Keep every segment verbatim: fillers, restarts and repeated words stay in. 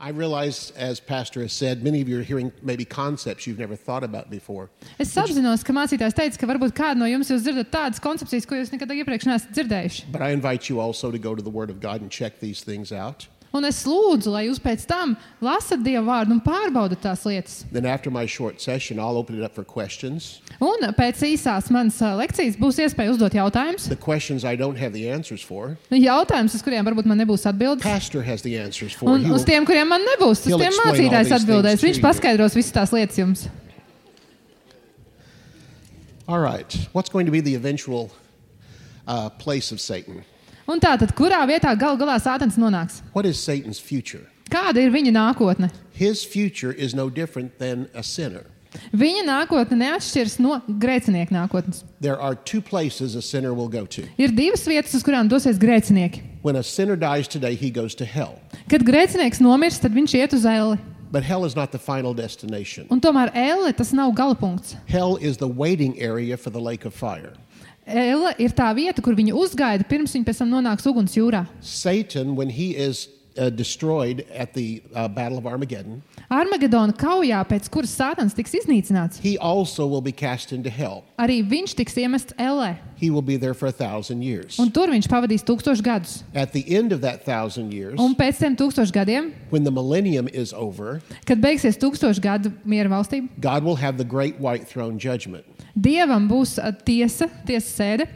I realize, as Pastor has said, many of you are hearing maybe concepts you've never thought about before. Es apzinos, ka mācītājs teica, ka varbūt kādu no jums jūs dzirdat tādas koncepcijas, ko jūs nekad iepriekš neesat dzirdējuši. But I invite you also to go to the Word of God and check these things out. Un es lūdzu, lai jūs pēc tam lasat Dieva vārdu un pārbaudat tās lietas. Then after my short session, I'll open it up for questions. Un pēc īsās manas ā, lekcijas būs iespēja uzdot jautājumus. The questions I don't have the answers for, Jautājumus, uz kuriem varbūt man nebūs atbildes. Pastor has the answers for. Un He uz will- tiem, kuriem man nebūs, uz he'll tiem explain all mācītājs these atbildēs. things to Viņš you. paskaidros visas tās lietas jums. All right. What's going to be the eventual uh, place of Satan? Un tātad, kurā vietā gal galā Sātans nonāks? What is Satan's future? Kāda ir viņa nākotne? His future is no different than a sinner. Viņa nākotne neatšķiras no grēcinieka nākotnes. There are two places a sinner will go to. Ir divas vietas, uz kurām dosies grēcinieki. When a sinner dies today, he goes to hell. Kad grēcinieks nomirst, tad viņš iet uz elli. But hell is not the final destination. Un tomēr elle tas nav galapunkts. Hell is the waiting area for the lake of fire. Elle ir tā vieta, kur viņi uzgaida, pirms viņi pēc tam nonāks uguns jūrā. Satan, when he is uh, destroyed at the uh, Battle of Armageddon, Armagedona kaujā, pēc kuras Sātans tiks iznīcināts, he also will be cast into hell. arī viņš tiks iemests ellē. He will be there for a thousand years. Un tur viņš pavadīs tūkstošu gadus. At the end of that thousand years, Un pēc tiem tūkstošu gadiem, when the millennium is over, kad beigsies tūkstošu gadu miera valstība, God will have the great white throne judgment. Dievam būs ā, tiesa, tiesa sēde,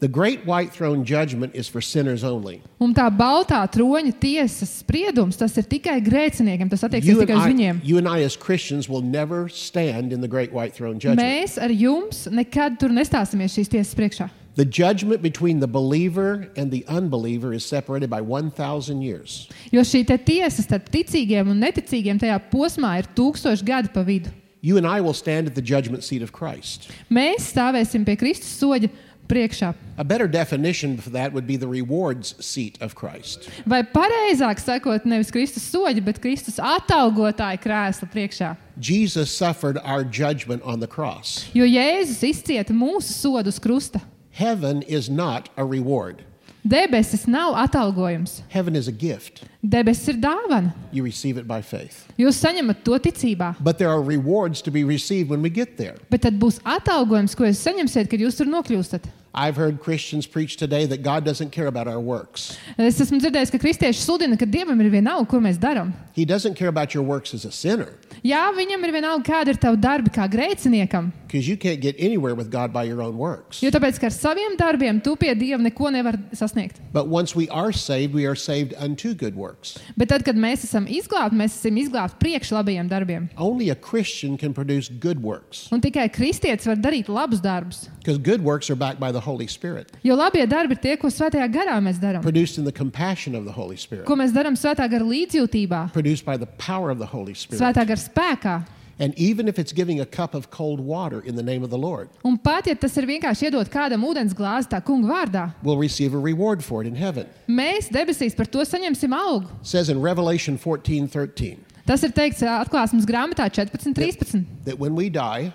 The great white throne judgment is for sinners only. un tā baltā troņa tiesas spriedums, tas ir tikai grēciniekiem, tas attieksies You and, tikai uz I, viņiem. you and I as Christians will never stand in the great white throne judgment. Mēs ar jums nekad tur nestāsimies šīs tiesas priekšā. The judgment between the believer and the unbeliever is separated by one thousand years. Jo šī te tiesa starp ticīgiem un neticīgiem tajā posmā ir tūkstoši gadi pa vidu. You and I will stand at the judgment seat of Christ. Mēs stāvēsim pie Kristus soļa priekšā. A better definition for that would be the rewards seat of Christ. Vai pareizāk sakot, nevis Kristus soļa, bet Kristus atalgotāja krēsla priekšā. Jesus suffered our judgment on the cross. Jo Jēzus izcieta mūsu sodu uz krusta. Heaven is not a reward. Debesis nav atalgojums. Heaven is a gift. Debesis ir dāvana. You receive it by faith. Jūs saņemat to ticībā. But there are rewards to be received when we get there. Bet tad būs atalgojums, ko jūs saņemsiet, kad jūs tur nokļūstat. I've heard Christians preach today that God doesn't care about our works. Es esmu dzirdējis, ka kristieši sludina, ka Dievam ir vienalga, ko mēs darām. He doesn't care about your works as a sinner, Jā, viņam ir vienalga, kāda ir tava darbi kā grēciniekam. because you can't get anywhere with God by your own works. Jo tāpēc, ka ar saviem darbiem tu pie Dieva neko nevar sasniegt. But once we are saved, we are saved unto good works. Bet tad, kad mēs esam izglābti, mēs esam izglābti priekš labajiem darbiem. Only a Christian can produce good works, Un tikai kristietis var darīt labus darbus. because good works are backed by the Holy Spirit, Jo labie darbi ir tie, ko svētajā garā mēs darām. produced in the compassion of the Holy Spirit, Ko mēs darām svētā gara līdzjūtībā, produced by the power of the Holy Spirit. svētā gara spēkā. And even if it's giving a cup of cold water in the name of the Lord, Un pat, ja tas ir vienkārši iedot kādam ūdens glāzi tā kunga vārdā, we'll receive a reward for it in heaven. mēs debesīs par to saņemsim algu. It says in Revelation fourteen thirteen Tas ir teikts ā, atklāsmes grāmatā četrpadsmit trīspadsmit. that when we die,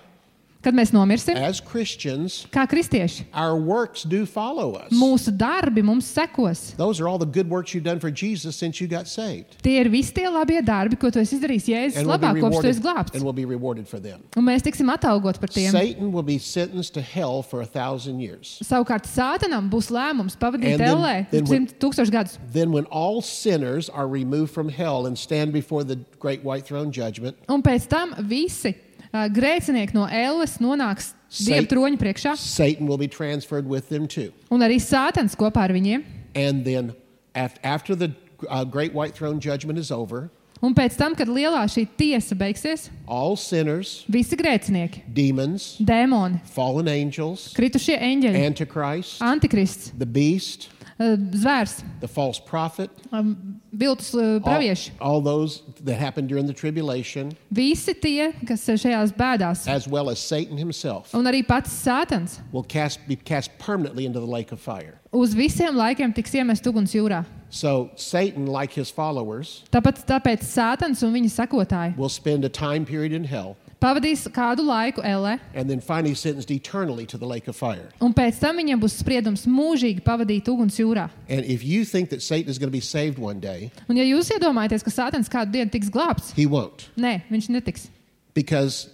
Kad mēs nomirsim, as Christians, kā kristieši, our works do follow us. mūsu darbi mums sekos. Those are all the good works you've done for Jesus since you got saved. Tie ir visi tie labie darbi, ko tu esi izdarījis Jēzus And we'll be labā, kopš tu esi rewarded, glābts. and we'll be rewarded for them. Un mēs tiksim atalgot par tiem. Satan will be sentenced to hell for a thousand years. Savukārt Sātanam būs lēmums pavadīt And then- ellē then when- simt tūkstošu gadus. Then when all sinners are removed from hell and stand before the great white throne judgment, Un pēc tam visi uh, grēcinieki no elles nonāks Dieva Satan- troņa priekšā. Satan will be transferred with them too. Un arī Sātans kopā ar viņiem. And then af- after the uh, great white throne judgment is over, Un pēc tam, kad lielā šī tiesa beigsies, all sinners, visi grēcinieki, demons, dēmoni, fallen angels, kritušie eņģeļi, Antichrist, antikrists, the beast, uh, zvērs, the false prophet, um, viltus uh, all, pravieši. all those that happened during the tribulation, Visi tie, kas ir šajās bēdās. as well as Satan himself, Un arī pats Sātans will cast, be cast permanently into the lake of fire. uz visiem laikiem tiks iemest uguns jūrā. So Satan, like his followers, Tāpat tāpēc Sātans un viņa sekotāji will spend a time period in hell pavadīs kādu laiku ellē, and then finally sentenced eternally to the lake of fire. un pēc tam viņam būs spriedums mūžīgi pavadīt uguns jūrā. And if you think that Satan is going to be saved one day, Un ja jūs iedomājaties, ka Sātans kādu dienu tiks glābts, he won't. nē, viņš netiks. Because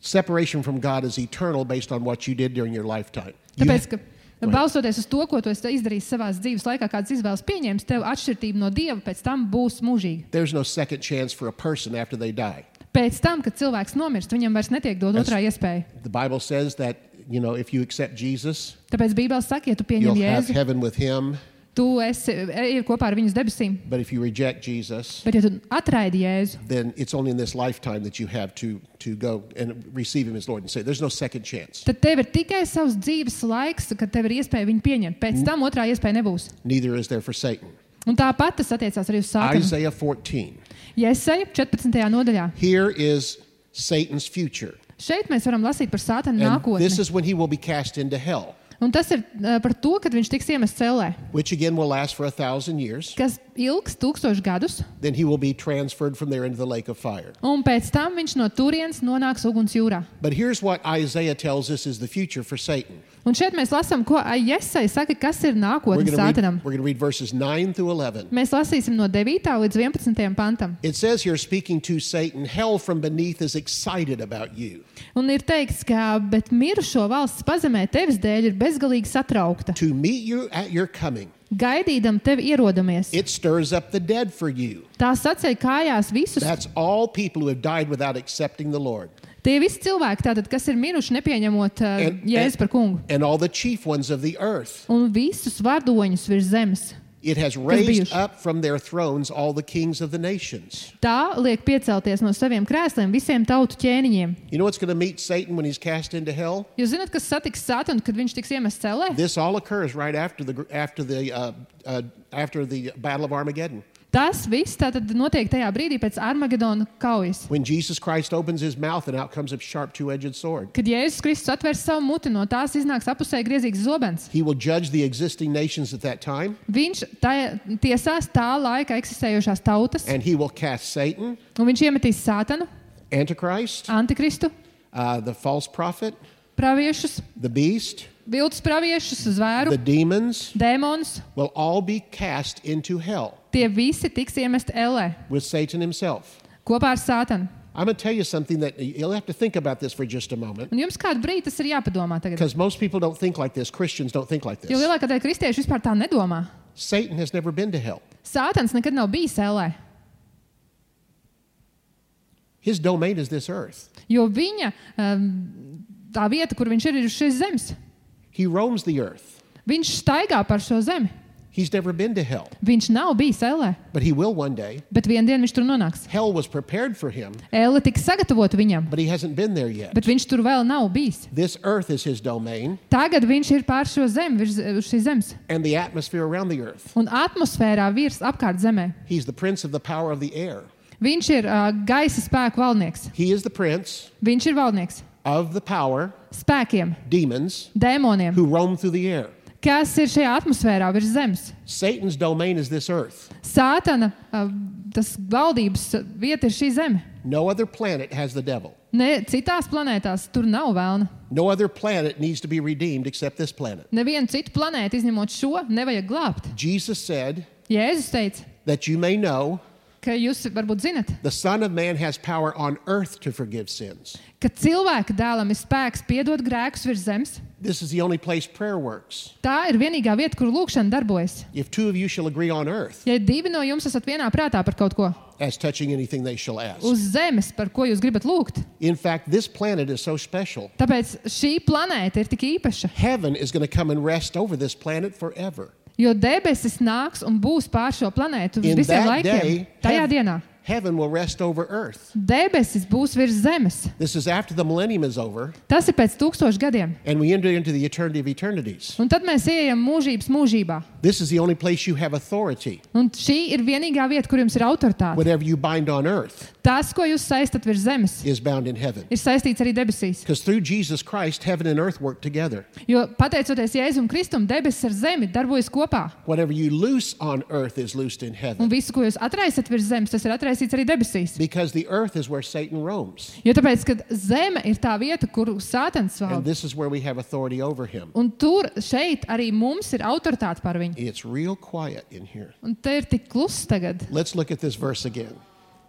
separation from God is eternal based on what you did during your lifetime. You Tāpēc, ka Right. balstoties uz to, ko tu esi izdarījis savās dzīves laikā, kādas izvēles pieņēmis, tev atšķirība no Dieva pēc tam būs mūžīga. There's no second chance for a person after they die. Pēc tam, kad cilvēks nomirst, viņam vairs netiek dot otrā iespēja. The Bible says that, you know, if you accept Jesus, Tāpēc Bībele saka, ja tu you'll pieņem have Jēzu, heaven with him. tu esi ej kopā ar viņu uz debesīm. But if you reject Jesus, Bet ja tu atraidi Jēzu, then it's only in this lifetime that you have to, to go and receive him as Lord and Savior. There's no second chance. tad tev ir tikai savs dzīves laiks, kad tev ir iespēja viņu pieņemt. Pēc tam otrā iespēja nebūs. Neither is there for Satan. Un tāpat tas attiecās arī uz Sātanu. Isaiah fourteen. Jesaja četrpadsmitajā nodaļā. Here is Satan's future. Šeit mēs varam lasīt par Sātanu And this nākotni. is when he will be cast into hell, Un tas ir uh, par to, kad viņš tiks iemests cellē, which again will last for a thousand years. kas ilgs tūkstoši gadus. Then he will be transferred from there into the lake of fire. Un pēc tam viņš no turienes nonāks uguns jūrā. But here's what Isaiah tells us is the future for Satan. Un šeit mēs lasām, ko Jesaja saka, kas ir We're nākotne going Sātanam. to read verses nine through eleven. Mēs lasīsim no devītā līdz vienpadsmitajam pantam. It says here, speaking to Satan, hell from beneath is excited about you. Un ir teikts, ka bet mirušo valsts pazemē tevis dēļ ir bezgalīgi satraukta. To meet you at your coming, Gaidīdam tevi ierodamies. it stirs up the dead for you. Tā saceļ kājās visus. That's all people who have died without accepting the Lord. Tie visi cilvēki, tātad, kas ir miruši, nepieņemot uh, And- Jēzu par kungu. And all the chief ones of the earth. Un visus vadoņus virs zemes. It has raised bijuši. up from their thrones all the kings of the nations. Tā liek piecelties no saviem krēsliem visiem tautu ķēniņiem. You know what's going to meet Satan when he's cast into hell? Jūs zināt, kas satiks Sātanu, kad viņš tiks iemests cellē? This all occurs right after the after the uh, uh, after the Battle of Armageddon. Tas viss tātad notiek tajā brīdī pēc Armagedona kaujas. When Jesus Christ opens his mouth and out comes a sharp two-edged sword. Kad Jēzus Kristus atvērs savu muti, no tās iznāks apusē griezīgs zobens. He will judge the existing nations at that time, Viņš tā, tiesās tā laika eksistējošās tautas, and he will cast Satan, un viņš iemetīs Sātanu, Antichrist, Antikristu, uh, the false prophet, praviešus, the beast, viltus praviešus, zvēru, the demons, dēmonus. will all be cast into hell Tie visi tiks iemesti ellē with Satan himself. kopā ar Sātanu. I'm going to tell you something that you'll have to think about this for just a moment, Un jums kādu brīdi tas ir jāpadomā tagad. because most people don't think like this. Christians don't think like Jo this. lielākā daļa kristiešu vispār tā nedomā. Satan has never been to hell. Sātans nekad nav bijis ellē, His domain is this earth. jo viņa um, tā vieta, kur viņš ir, ir uz šīs zemes. He roams the earth. Viņš staigā par šo zemi. He's never been to hell, Viņš nav bijis ellē, but he will one day. bet vienā dienā viņš tur nonāks. Hell was prepared for him, Elle tika sagatavota viņam, but he hasn't been there yet. bet viņš tur vēl nav bijis. This earth is his domain, Tagad viņš ir pār šo zemi, virs uz šīs zemes. and the atmosphere around the earth. Un atmosfērā virs apkārt zemē. He's the prince of the power of the air. Viņš ir uh, gaisa spēku valdnieks. He is the prince Viņš ir valdnieks of the power, spēkiem, demons, dēmoniem, who roam through the air. kas ir šajā atmosfērā virs zemes. Satan's domain is this earth. Sātana uh, tas valdības vieta ir šī zeme. No other planet has the devil. Ne, citās planētās tur nav vēlna. No other planet needs to be redeemed except this planet. Nevienu citu planētu, izņemot šo, nevajag glābt. Jesus said Jēzus teica, that you may know ka jūs varbūt zinat, the Son of Man has power on earth to forgive sins. ka cilvēka dēlam ir spēks piedot grēkus virs zemes. This is the only place prayer works. Tā ir vienīgā vieta, kur lūkšana darbojas. If two of you shall agree on earth Ja divi no jums esat vienā prātā par kaut ko as touching anything they shall ask. uz zemes, par ko jūs gribat lūgt, In fact, this planet is so special. tāpēc šī planēta ir tik īpaša, Heaven is going to come and rest over this planet forever. jo debesis nāks un būs pār šo planētu uz In visiem that laikiem. day, Tajā heav- dienā heaven will rest over earth. debesis būs virs zemes. This is after the millennium is over Tas ir pēc tūkstošu gadiem. and we enter into the eternity of eternities. Un tad mēs ejam mūžības mūžībā. This is the only place you have authority. Un šī ir vienīgā vieta, kur jums ir autoritāte. Whatever you bind on earth Tas, ko jūs saistat virs zemes, is bound in heaven. ir saistīts arī debesīs. Because through Jesus Christ, heaven and earth work together. Jo pateicoties Jēzum Kristum, debesis ar zemi darbojas kopā. Whatever you loose on earth is loosed in Un heaven. visu, ko jūs atraisat virs zemes, tas ir atraisīts izraisīts arī debesīs. Because the earth is where Satan roams. Jo tāpēc, ka zeme ir tā vieta, kur Sātans And valda. this is where we have authority over him. Un tur, šeit arī mums ir autoritāte par viņu. It's real quiet in here. Un te ir tik kluss tagad. Let's look at this verse again.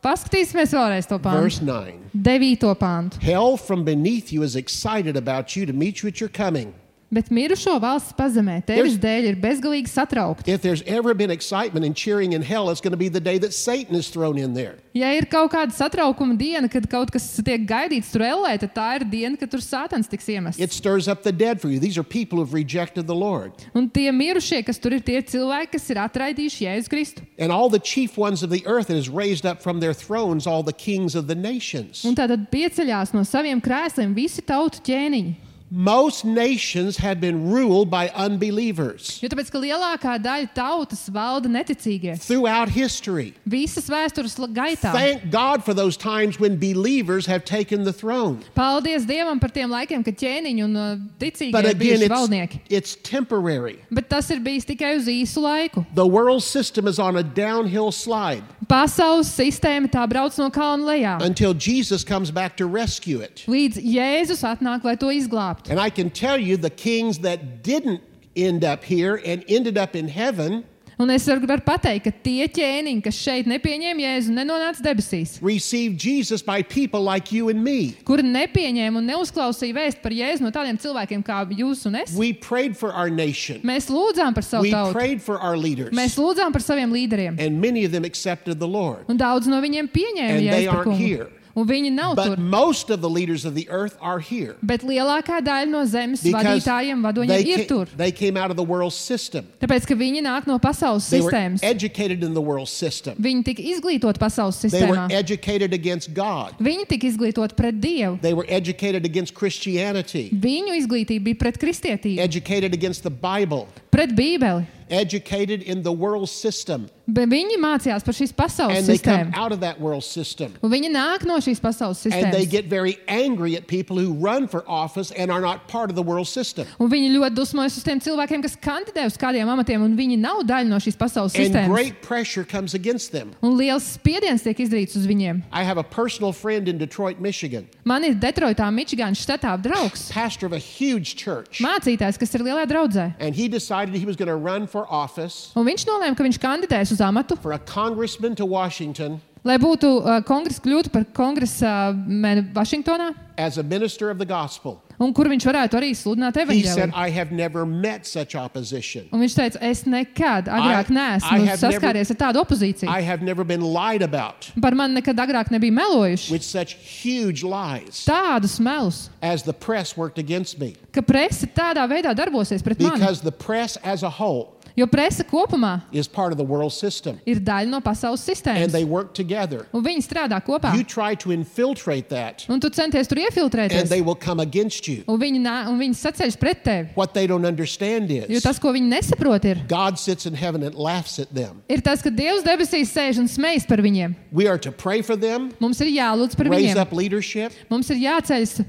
Paskatīsimies vēlreiz to Verse pāntu. nine. Devīto pāntu. Hell from beneath you is excited about you to meet you at your coming. Bet mirušo valsts pazemē tevis dēļ ir bezgalīgi satraukti. If there's ever been excitement and cheering in hell, it's going to be the day that Satan is thrown in there. Ja ir kaut kāda satraukuma diena, kad kaut kas tiek gaidīts tur ellē, tad tā ir diena, kad tur Sātans tiks iemests. It stirs up the dead for you. These are people who've rejected the Lord. Un tie mirušie, kas tur ir, tie cilvēki, kas ir atraidījuši Jēzu Kristu. And all the chief ones of the earth that is raised up from their thrones, all the kings of the nations. Un tātad pieceļās no saviem krēsliem visi tautu ķēniņi. Most nations have been ruled by unbelievers Jo tāpēc, ka lielākā daļa tautas valda neticīgie. throughout history. Visas vēstures la- gaitā. Thank God for those times when believers have taken the throne. Paldies Dievam par tiem laikiem, kad ķēniņi un uh, ticīgie But ir again, bijuši it's, valdnieki. it's temporary. Bet tas ir bijis tikai uz īsu laiku. The world system is on a downhill slide Pasaules sistēma tā brauc no kalna lejā. until Jesus comes back to rescue it. Līdz Jēzus atnāk, lai to izglābtu. And I can tell you the kings that didn't end up here and ended up in heaven Un es varu varu pateikt, ka tie ķēniņi, kas šeit nepieņēma Jēzu un nenonāca debesīs, received Jesus by people like you and me. kuri nepieņēma un neuzklausīja vēst par Jēzu no tādiem cilvēkiem kā jūs un es, We prayed for our nation. mēs lūdzām par savu We tautu. prayed for our leaders. Mēs lūdzām par saviem līderiem. And many of them accepted the Lord. Un daudz no viņiem pieņēma And they Jēzu par aren't kungu. here. Un viņi nav But tur. most of the leaders of the earth are here Bet lielākā daļa no zemes because vadītājiem, they vadoņiem ir came, tur. they came out of the world system. Tāpēc, ka viņi nāk no pasaules They were sistēmas. educated in the world system. Viņi tika izglītoti pasaules They were sistēmā. educated against God. Viņi tika izglītoti pret Dievu. They were educated against Christianity, Viņu izglītība bija pret kristietību, educated against the Bible, pret Bībeli. educated in the world system. Bet viņi mācījās par šīs pasaules And they come sistēmu. out of that world system. Un viņi nāk no šīs pasaules And they sistēmas. get very angry at people who run for office and are not part of the world system. Un viņi ļoti dusmojas uz tiem cilvēkiem, kas kandidē uz kādiem amatiem, un viņi nav daļa no šīs pasaules And sistēmas. great pressure comes against them. Un liels spiediens tiek izdarīts uz viņiem. I have a personal friend in Detroit, Michigan, Man ir Detroitā, Mičigānas štatā draugs, pastor of a huge church. mācītājs, kas ir lielā draudzē. And he decided he was going to run for office Un viņš nolēma, ka viņš kandidēs uz amatu, for a congressman to Washington lai būtu uh, kongress, kļūtu par kongresa meni Vašingtonā, as a minister of the gospel. un kur viņš varētu arī sludināt He said, evaņģēliju. I have never met such opposition. Un viņš teica, es nekad agrāk I neesmu have never- saskāries ar tādu opozīciju. I have never been lied about Par mani nekad agrāk nebija melojuši with such huge lies tādus melus, as the press worked against me. ka presa tādā veidā darbosies pret mani. Because the press as a whole Jo presa kopumā is part of the world system. ir daļa no pasaules And they sistēmas. work together. Un viņi strādā kopā. You try to infiltrate that Un tu centies tur and iefiltrēties. they will come against you. Un viņi, nā- un viņi saceļas pret tevi. What they don't understand Jo is tas, ko viņi nesaprot, ir, God sits in heaven and laughs at them. ir tas, ka Dievs debesīs sēž un smejas par viņiem. We are to pray for them, Mums ir jālūdz par raise viņiem. up leadership, Mums ir jāceļas,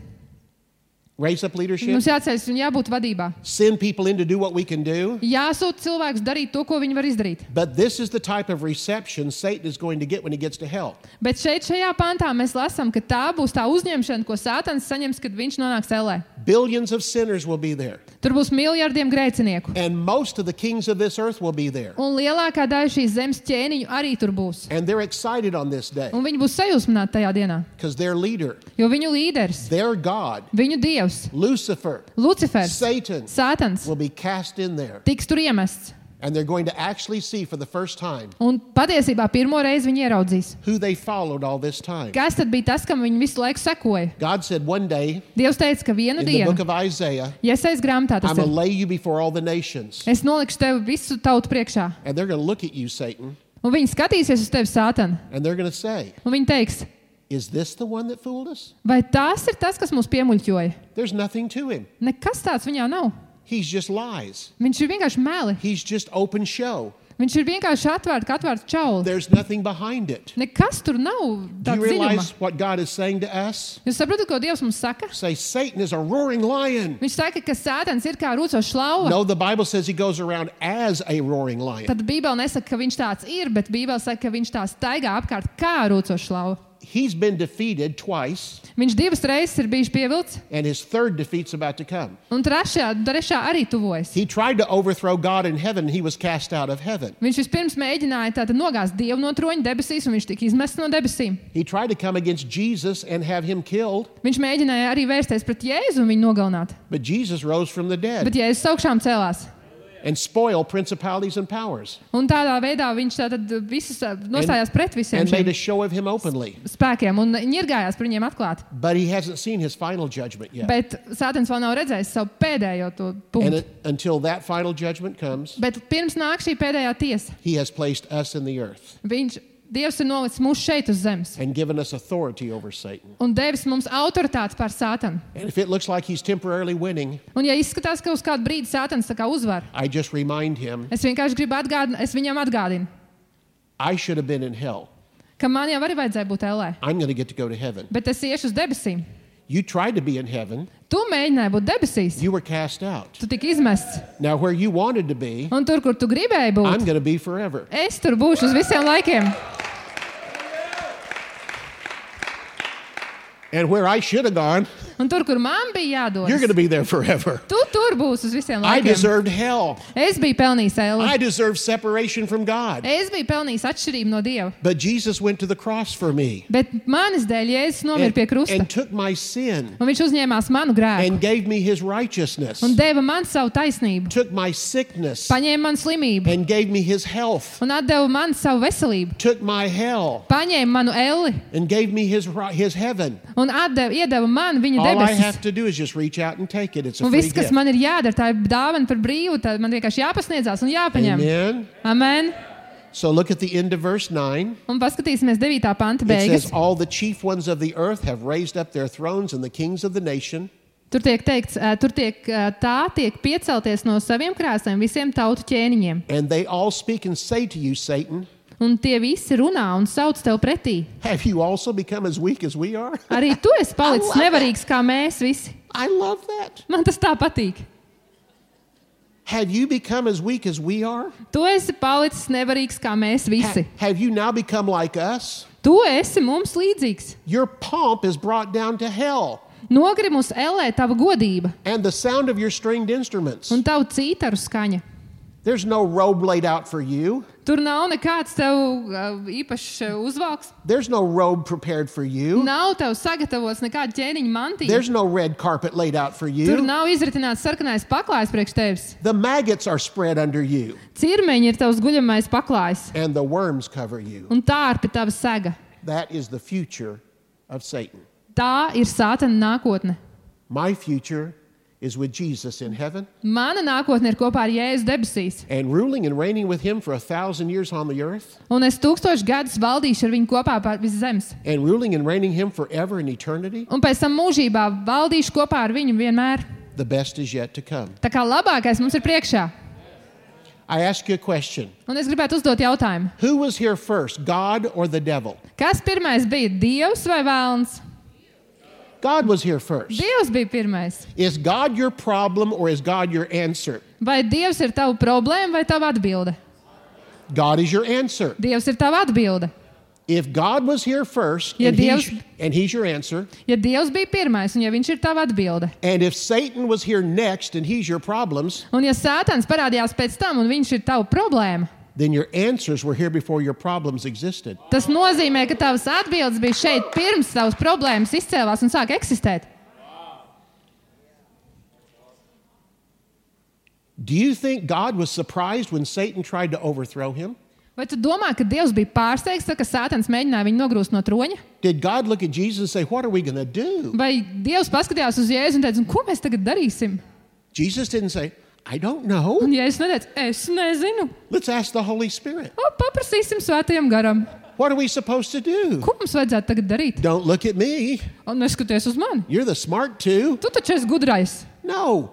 raise up leadership, mums jāceļas un jābūt vadībā. send people in to do what we can do. Jāsūt cilvēkus darīt to, ko viņi var izdarīt. But this is the type of reception Satan is going to get when he gets to hell. Bet šeit, šajā pantā, mēs lasām, ka tā būs tā uzņemšana, ko Sātans saņems, kad viņš nonāks ellē. Billions of sinners will be there. Tur būs miljardiem grēcinieku. And most of the kings of this earth will be there. Un lielākā daļa šīs zemes ķēniņu arī tur būs. And they're excited on this day Un viņi būs sajūsmināti tajā dienā. because their leader, Jo viņu līderis, their God, viņu dievs, Lucifer, Lucifers, Satan, Sātans, will be cast in there. tiks tur iemests. And they're going to actually see for the first time Un patiesībā pirmo reizi viņi ieraudzīs. who they followed all this time. Kas tad bija tas, kam viņi visu laiku sekoja? God said one day Dievs teica, ka vienu in the book dienu, of Isaiah, Iesaijas grāmatā tas I'm going to ir, lay you before all the nations. es nolikšu tevi visu tautu priekšā. And they're going to look at you, Satan, Un viņi skatīsies uz tevi, Sātan, and they're going to say, un viņi teiks, is this the one that fooled us? vai tās ir tas, kas mūs piemuļķoja? There's nothing to him. Nekas tāds viņā nav. He's just lies. Viņš ir vienkārši meli. He's just open show. Viņš ir vienkārši atvērts, kā atvērts čauli. There's nothing behind it. Nekas tur nav Do you tāds dziļuma. realize what God is saying to us? Jūs saprotat, ko Dievs mums saka? Say, Satan is a roaring lion. Viņš saka, ka Sātans ir kā rūcošs lauva. No, the Bible says he goes around as a roaring lion. Tad Bībele nesaka, ka viņš tāds ir, bet Bībele saka, ka viņš tā staigā apkārt kā rūcošs lauva. He's been defeated twice, Viņš divas reizes ir bijis pievilts, and his third defeat's about to come. un trešā, trešā arī tuvojas. He tried to overthrow God in heaven, and he was cast out of heaven. Viņš vispirms mēģināja tātad nogāzt Dievu no troņa debesīs, un viņš tika izmests no debesīm. He tried to come against Jesus and have him killed, Viņš mēģināja arī vērsties pret Jēzu un viņu nogalināt. but Jesus rose from the dead Bet Jēzus augšām celās. and spoil principalities and powers Un tādā veidā viņš tātad visus nostājās pret visiem and made šiem a show of him openly. spēkiem un ņirgājās par viņiem atklāt. But he hasn't seen his final judgment yet. Bet Sātans vēl nav redzējis savu pēdējo to And punktu. it, until that final judgment comes, Bet pirms nāk šī pēdējā tiesa, he has placed us in the earth viņš, Dievs ir nolicis mūs šeit uz zemes and given us authority over Satan. un devis mums autoritātes pār Sātanu. And if it looks like he's temporarily winning, Un ja izskatās, ka uz kādu brīdi Sātans tā kā uzvar, I just remind him, es vienkārši gribu atgādināt, es viņam atgādinu, I should have been in hell. ka man jau arī vajadzēja būt ellē, I'm going to get to go to heaven. bet es iešu uz debesīm. You tried to be in heaven. Tu mēģināji būt debesīs, You were cast out. tu tiki izmests, Now, where you wanted to be, un tur, kur tu gribēji I'm būt, going to be forever. es tur būšu uz visiem laikiem. And where I should have gone, Un tur, kur man bija you're jādodas, going to be there forever. tu tur būsi uz visiem I laikiem. deserved hell. Es biju pelnījis elli. I deserved separation from God. Es biju pelnījis atšķirību no Dieva. But Jesus went to the cross for me Bet manis dēļ Jēzus nomira and, pie krusta. and took my sin Un viņš uzņēmās manu grēku and gave me his righteousness, un deva man savu taisnību. took my sickness Paņēma manu slimību and gave me his health, un atdeva man savu veselību. took my hell Paņēma manu elli and gave me his, ri- his heaven. un atdeva, iedeva man viņa All I debesis. have to do is just reach out and take it. It's a Un free viss, kas gift. man ir jādara, tā ir dāvana par brīvu. Tā man vienkārši jāpasniedzās un jāpaņem. Amen. Amen. So look at the end of verse nine. Un paskatīsimies devītā panta It beigas. says, all the chief ones of the earth have raised up their thrones, and the kings of the nation. Tur tiek teikts, ā, tur tiek, ā, tā tiek piecelties no saviem krēsliem visiem tautu ķēniņiem. And they all speak and say to you, Satan, Un tie visi runā un sauc tev pretī. have you also become as weak as we are? Arī tu esi palicis I love nevarīgs kā mēs visi. I love that. Man tas tā patīk. Have you become as weak as we are? Tu esi palicis nevarīgs kā mēs Ha- visi. have you now become like us? Tu esi mums līdzīgs. Your pomp is brought down to hell, Nogrib mums ellē tava godība and the sound of your stringed instruments. un tavu cītaru skaņa. There's no robe laid out for you. Tur nav nekāds tev uh, īpašs uh, uzvalks. There's no robe prepared for you. Nav tev sagatavots nekāda ķēniņa mantīja. There's no red carpet laid out for Tur you. nav izritināts sarkanais paklājs priekš tevis. The maggots are spread under you, Cirmeņi ir tavs guļamais paklājs and the worms cover you. un tārpi tava sega. That is the future of Satan. Tā ir Sātana nākotne. My future is with Jesus in heaven Mana nākotne ir kopā ar Jēzu debesīs. and ruling and reigning with him for a thousand years on the earth Un es tūkstoši gadus valdīšu ar viņu kopā pār visu zemes. and ruling and reigning him forever in eternity. Un pēc tam mūžībā valdīšu kopā ar viņu vienmēr. The best is yet to come. Tā kā labākais mums ir priekšā. I ask you a question. Un es gribētu uzdot jautājumu. Who was here first, God or the devil? Kas pirmais bija, Dievs vai vēlns? God was here first. Dievs bija pirmais. Is God your problem or is God your answer? Vai Dievs ir tava problēma vai tava atbilde? God is your answer. Dievs ir tava atbilde. If God was here first Ja and, he's, Dievs- and he's your answer, Ja Dievs bija pirmais un ja viņš ir tava atbilde, and if Satan was here next and he's your problems, un ja Sātans parādījās pēc tam un viņš ir tava problēma, then your answers were here before your problems existed. tas nozīmē, ka tavas atbildes bija šeit pirms tavas problēmas izcēlās un sāk eksistēt. Do you think God was surprised when Satan tried to overthrow him? Vai tu domā, ka Dievs bija pārsteigts, tad, kad Sātans mēģināja viņu nogrūst no troņa? Did God look at Jesus and say, what are we going to do? Vai Dievs paskatījās uz Jēzu un teica, ko mēs tagad darīsim? Jesus didn't say, I don't know. Un Jēzus neteica, es nezinu. Let's ask the Holy Spirit. O, paprasīsim svētajam garam. What are we supposed to do? Ko mums vajadzētu tagad darīt? Don't look at me. Un neskaties uz mani. You're the smart two. Tu taču esi gudrais. No.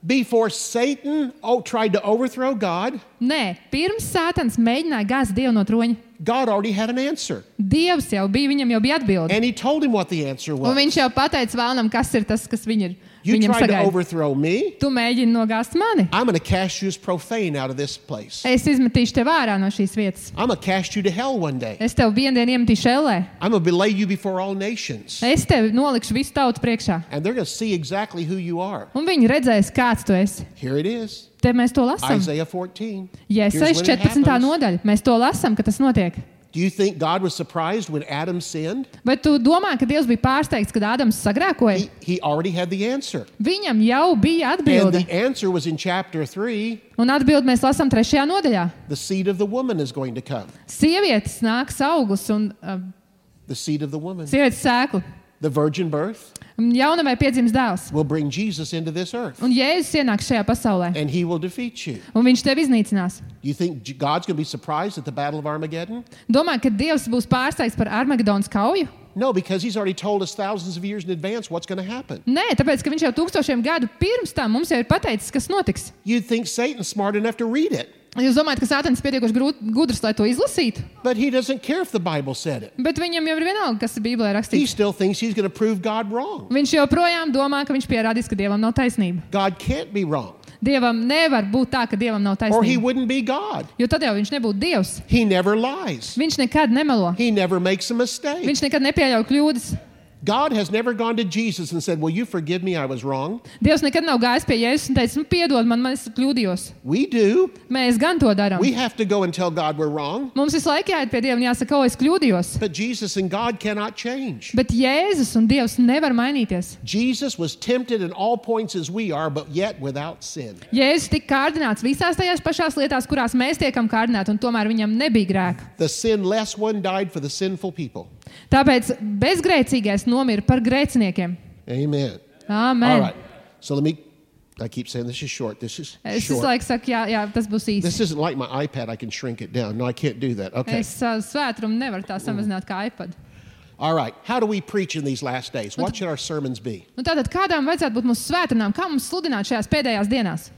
Before Satan oh, tried to overthrow God, Nē, pirms Sātans mēģināja gāzt Dievu no troņa, God already had an answer. Dievs jau bija, viņam jau bija atbilde. And he told him what the answer Un was. viņš jau pateica vēlnam, kas ir tas, kas viņ ir, You viņam tried to sagaida. overthrow me. Tu mēģini nogāzt mani. I'm going to cast you as profane out of this place. Es izmetīšu tev ārā no šīs vietas. I'm going to cast you to hell one day. Es tev vienu dienu iemetīšu ellē. I'm going to lay you before all nations. Es tev nolikšu visu tautu priekšā. And they're going to see exactly who you are. Un viņi redzēs, kāds tu esi. Here it is. Te mēs to lasām. Isaiah fourteen. Jēzus Here's when it četrpadsmitā happens. nodaļa. Mēs to lasām, ka tas notiek. Do you think God was surprised when Adam sinned? Vai tu domā, ka Dievs bija pārsteigts, kad Ādams sagrēkoja? He, he already had the answer. Viņam jau bija And atbilde. the answer was in chapter three. Un atbildi mēs lasām trešajā nodaļā. The seed of the woman is going to come. Sievietes nāks auglis un uh, The seed of the woman. sievietes sēklu. The virgin birth Jaunavai piedzims dēls. will bring Jesus into this earth. Un Jēzus ienāks šajā pasaulē. And he will defeat you. Un viņš tevi iznīcinās. You think J- God's going to be surprised at the Battle of Armageddon? Domā, ka Dievs būs pārsteigts par Armagedonas kauju? No, because he's already told us thousands of years in advance what's going to happen. Nē, tāpēc, ka viņš jau tūkstošiem gadu pirms tam mums jau ir pateicis, kas notiks. You'd think Satan's smart enough to read it, Jūs domājat, ka Sātans ir pietiekoši grūt- gudrs, lai to izlasītu? but he doesn't care if the Bible said it. Bet viņam jau ir vienalga, kas ir Bībelē He rakstīts. still thinks he's going to prove God wrong. Viņš joprojām domā, ka viņš pierādīs, ka Dievam nav taisnība. God can't be wrong, Dievam nevar būt tā, ka Dievam nav or he taisnība. wouldn't be God. Jo tad jau viņš nebūtu Dievs. He never lies. Viņš nekad nemelo. He never makes a mistake. Viņš nekad nepieļauj kļūdas. God has never gone to Jesus and said, "Will you forgive me? I was wrong." Dievs nekad nav gājis pie Jēzus un teicis, nu, piedod man, man es kļūdījos. We do. Mēs gan to darām. We have to go and tell God we're wrong, Mums visu laiku jāiet pie Dieva un jāsaka, o, es kļūdījos. but Jesus and God cannot change. Bet Jēzus un Dievs nevar mainīties. Jesus was tempted in all points as we are, but yet without sin. Jēzus tika kārdināts visās tajās pašās lietās, kurās mēs tiekam kārdināti, un tomēr viņam nebija grēka. The sinless one died for the sinful people. Tāpēc bezgrēcīgais nomira par grēciniekiem. Amen. Āmen. All right. So let me, I keep saying this is short. This is Es visu short. laiku saku, jā, jā, tas būs īsi. This isn't like my iPad. I can shrink it down. No, I can't do that. Okay. Es savu svētrumu nevaru tā samazināt kā iPad. All right. How do we preach in these last days? What should our sermons be? Nu, tātad, kādām vajadzētu būt mūsu svētdienām? Kā mums sludināt šajās pēdējās dienās?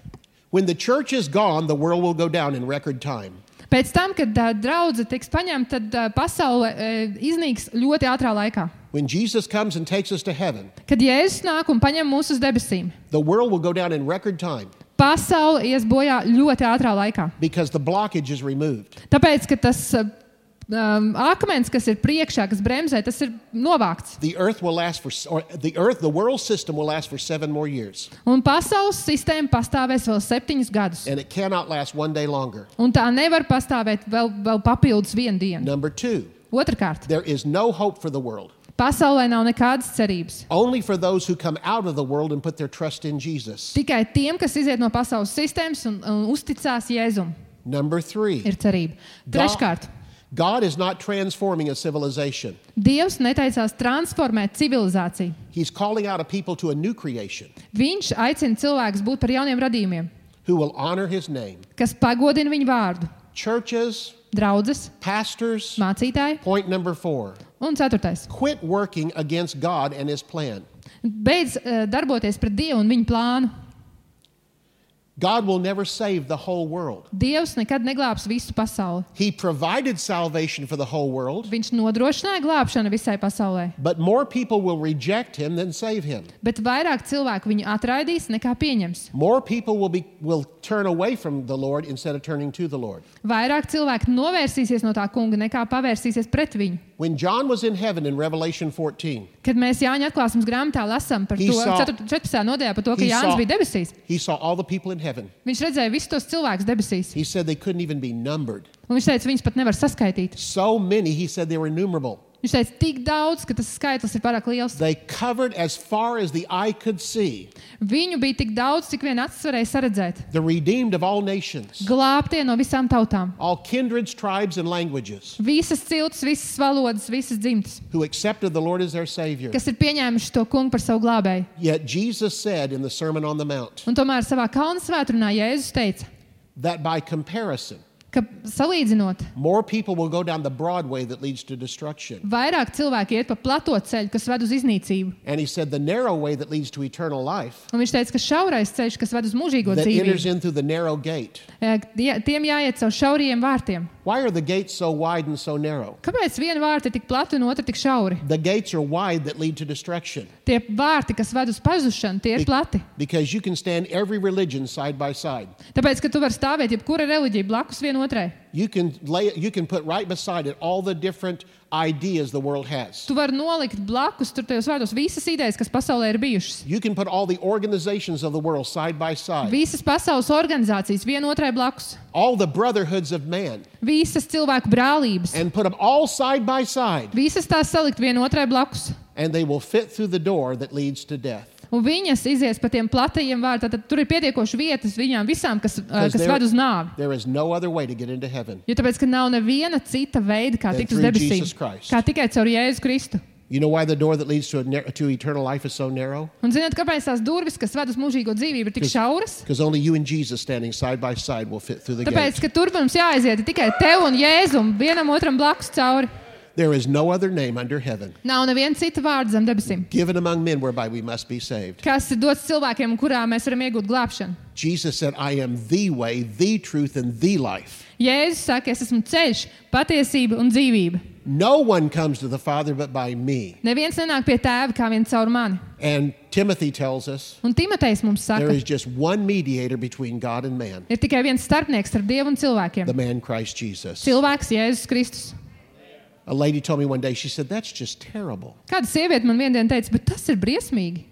When the church is gone, the world will go down in record time. Pēc tam, kad uh, draudze tiks paņemta, tad uh, pasaule uh, iznīks ļoti ātrā laikā. When Jesus comes and takes us to heaven, Kad Jēzus nāk un paņem mūs uz debesīm, the world will go down in record time pasaule ies bojā ļoti ātrā laikā. because the blockage is removed. Tāpēc, ka tas uh, um, akmens, kas ir priekšā, kas bremzē, tas ir novākts. The earth will last for, or the earth, the world system will last for seven more years, Un pasaules sistēma pastāvēs vēl septiņus gadus. and it cannot last one day longer. Un tā nevar pastāvēt vēl, vēl papildus vienu dienu. Number two, Otrakārt, there is no hope for the world. pasaulē nav nekādas cerības. Only for those who come out of the world and put their trust in Jesus. Tikai tiem, kas iziet no pasaules sistēmas un, un uzticās Jēzum, Number three, ir cerība. Treškārt, God is not transforming a civilization. Dievs neteicās transformēt civilizāciju. He's calling out a people to a new creation Viņš aicina cilvēkus būt par jauniem radījumiem, who will honor his name. kas pagodina viņu vārdu. Churches, Draudzes, pastors, mācītāji point number four, un ceturtais. quit working against God and his plan. Beidz uh, darboties pret Dievu un viņa plānu. God will never save the whole world. Dievs nekad neglābs visu pasauli. He provided salvation for the whole world, Viņš nodrošināja glābšanu visai pasaulē. but more people will reject him than save him. Bet vairāk cilvēku viņu atraidīs nekā pieņems. More people will be will turn away from the Lord instead of turning to the Lord. Vairāk cilvēku novērsīsies no tā kunga nekā pavērsīsies pret viņu. When John was in heaven in Revelation fourteen, Kad mēs Jāņa atklāsmes grāmatā lasām par He to saw- četrpadsmitajā nodaļā par to, ka he Jānis saw- bija debesīs, he saw all the people in heaven. viņš redzēja visus tos cilvēkus debesīs. He said they couldn't even be numbered. Un viņš teica, viņus pat nevar saskaitīt. So many, he said they were innumerable. Viņš teica, tik daudz, ka tas skaitlis ir pārāk liels. They covered as far as the eye could see Viņu bija tik daudz, cik vien acis varēja saredzēt. the redeemed of all nations, Glābtie no visām tautām. all kindreds, tribes, and languages, Visas ciltis, visas valodas, visas dzimtas, who accepted the Lord as their Savior. kas ir pieņēmuši to kungu par savu glābēju. Yet Jesus said in the Sermon on the Mount Un tomēr savā kalna svētrunā Jēzus teica, that by comparison, ka salīdzinot, more people will go down the broad way that leads to destruction. vairāk cilvēki iet pa plato ceļu, kas ved uz iznīcību. And he said the narrow way that leads to eternal life, Un viņš teica, ka šaurais ceļš, kas ved uz mūžīgo that enters dzīvību, in through the narrow gate. eh, tie- tiem jāiet caur šauriem vārtiem. Why are the gates so wide and so narrow? Kāpēc viena vārta ir tik plata un otra tik šauri? The gates are wide that lead to destruction. Tie vārti, kas ved uz pazušanu, tie ir plati. Because you can stand every religion side by side. Tāpēc, ka tu vari stāvēt jebkura reliģija blakus vienotrai. You can lay you can put right beside it all the different ideas the world has. Tu vari nolikt blakus tur tajos vārdos visas idejas, kas pasaulē ir bijušas. You can put all the organizations of the world side by side. Visas pasaules organizācijas vienotrai blakus. All the brotherhoods of man. Visas cilvēku brālības. And put them all side by side. Visas tās salikt vienotrai blakus. And they will fit through the door that leads to death. Un viņas izies pa tiem platajiem vārtiem. Tad tur ir pietiekoši vietas viņām visām, kas, uh, Because kas there- ved uz nāvi. There is no other way to get into heaven. Jo tāpēc, ka nav neviena cita veida, kā Than tikt uz through debesīm. Jesus Christ. Kā tikai caur Jēzu Kristu. You know why the door that leads to, a, nar- to eternal life is so narrow? Un zināt, kāpēc tās durvis, kas ved uz mūžīgo dzīvību, ir tik šauras? Because only you and Jesus standing side by side will fit through the Tāpēc, gate. ka tur mums jāaiziet tikai tev un Jēzum, vienam otram blakus cauri. There is no other name under heaven Nav neviena cita vārda zem debesīm. given among men whereby we must be saved. Kas ir dots cilvēkiem, kurā mēs varam iegūt glābšanu? Jesus said, I am the way, the truth, and the life. Jēzus saka, es esmu ceļš, patiesība un dzīvība. No one comes to the Father but by me. Neviens nenāk pie tēva kā vien caur mani. And Timothy tells us Un Timotejs mums there saka, is just one mediator between God and man, ir tikai viens starpnieks starp Dievu un cilvēkiem. the man Christ Jesus. Cilvēks Jēzus Kristus. A lady told me one day, she said, that's just terrible. Kāda sieviete man viendien teica, bet tas ir briesmīgi.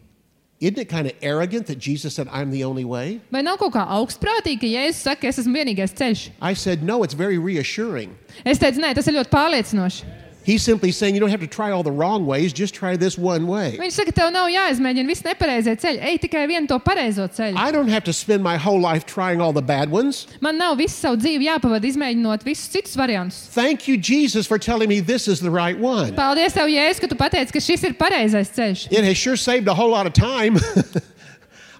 Isn't it kind of arrogant that Jesus said, I'm the only way? Vai nav kaut kā augstprātīgi, ka Jēzus saka, ka es esmu vienīgais ceļš? I said, no, it's very reassuring. Es teicu, nē, tas ir ļoti pārliecinoši. He's simply saying you don't have to try all the wrong ways, just try this one way. Viņš saka, tev nav jāizmēģina viss nepareizie ceļi. Ej tikai vienu to pareizo ceļu. I don't have to spend my whole life trying all the bad ones. Man nav visu savu dzīvi jāpavada izmēģinot visus citus variantus. Thank you, Jesus, for telling me this is the right one. Paldies tev, Jēzus, ka tu pateici, ka šis ir pareizais ceļš. It has sure saved a whole lot of time.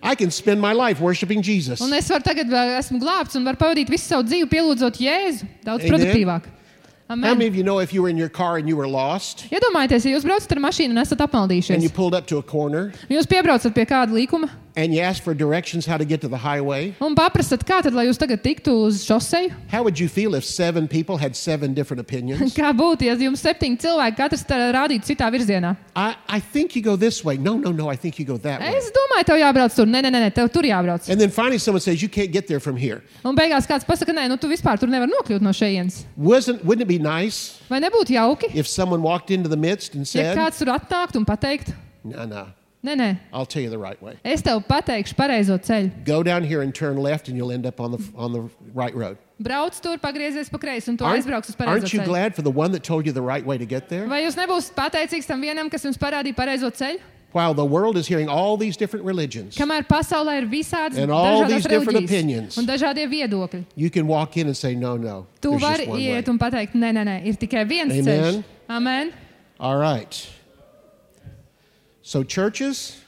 I can spend my life worshiping Jesus. Un es varu tagad, vēl esmu glābts un varu pavadīt visu savu dzīvi pielūdzot Jēzu. Daudz Amen. produktīvāk. How Amen. many of you know if you were in your car and you were lost Iedomājieties, ja jūs braucat ar mašīnu un esat and apmaldījušies. you pulled up to a corner Jūs piebraucat pie kāda līkuma and you asked for directions how to get to the highway? un paprasat, kā tad, lai jūs tagad tiktu uz šoseju? How would you feel if seven people had seven different opinions? Kā būtu, ja jums septiņi cilvēki katrs tā rādītu citā virzienā? I, I think you go this way. No, no, no, I think you go that way. Es domāju, tev jābrauc tur. Nē, nē, nē, tev tur jābrauc. And then finally someone says, you can't get there from here. Un beigās kāds pasaka, nē, nu tu vispār tur nevar nokļūt no šejienes. Wasn't, wouldn't it be nice Vai nebūtu jauki, if someone walked into the midst and ja said, kāds tur atnāktu un pateiktu, no, no, nē, nē, I'll tell you the right way. es tev pateikšu pareizo ceļu. Go down here and turn left and you'll end up on the, on the right road. Brauc tur, pagriezies pa kreisi un tu Aren't, aizbrauks uz pareizo aren't you ceļu. glad for the one that told you the right way to get there? Vai jūs nebūsiet pateicīgs tam vienam, kas jums parādīja pareizo ceļu? While the world is hearing all these different religions, Kamēr pasaulē ir visādas And all dažādas these different reliģijas opinions. un dažādie viedokļi, you can walk in and say, no, no, tu there's vari just one way. iet un pateikt, nē, nē, nē, ir tikai viens Amen. ceļš. Amen. All right. So churches,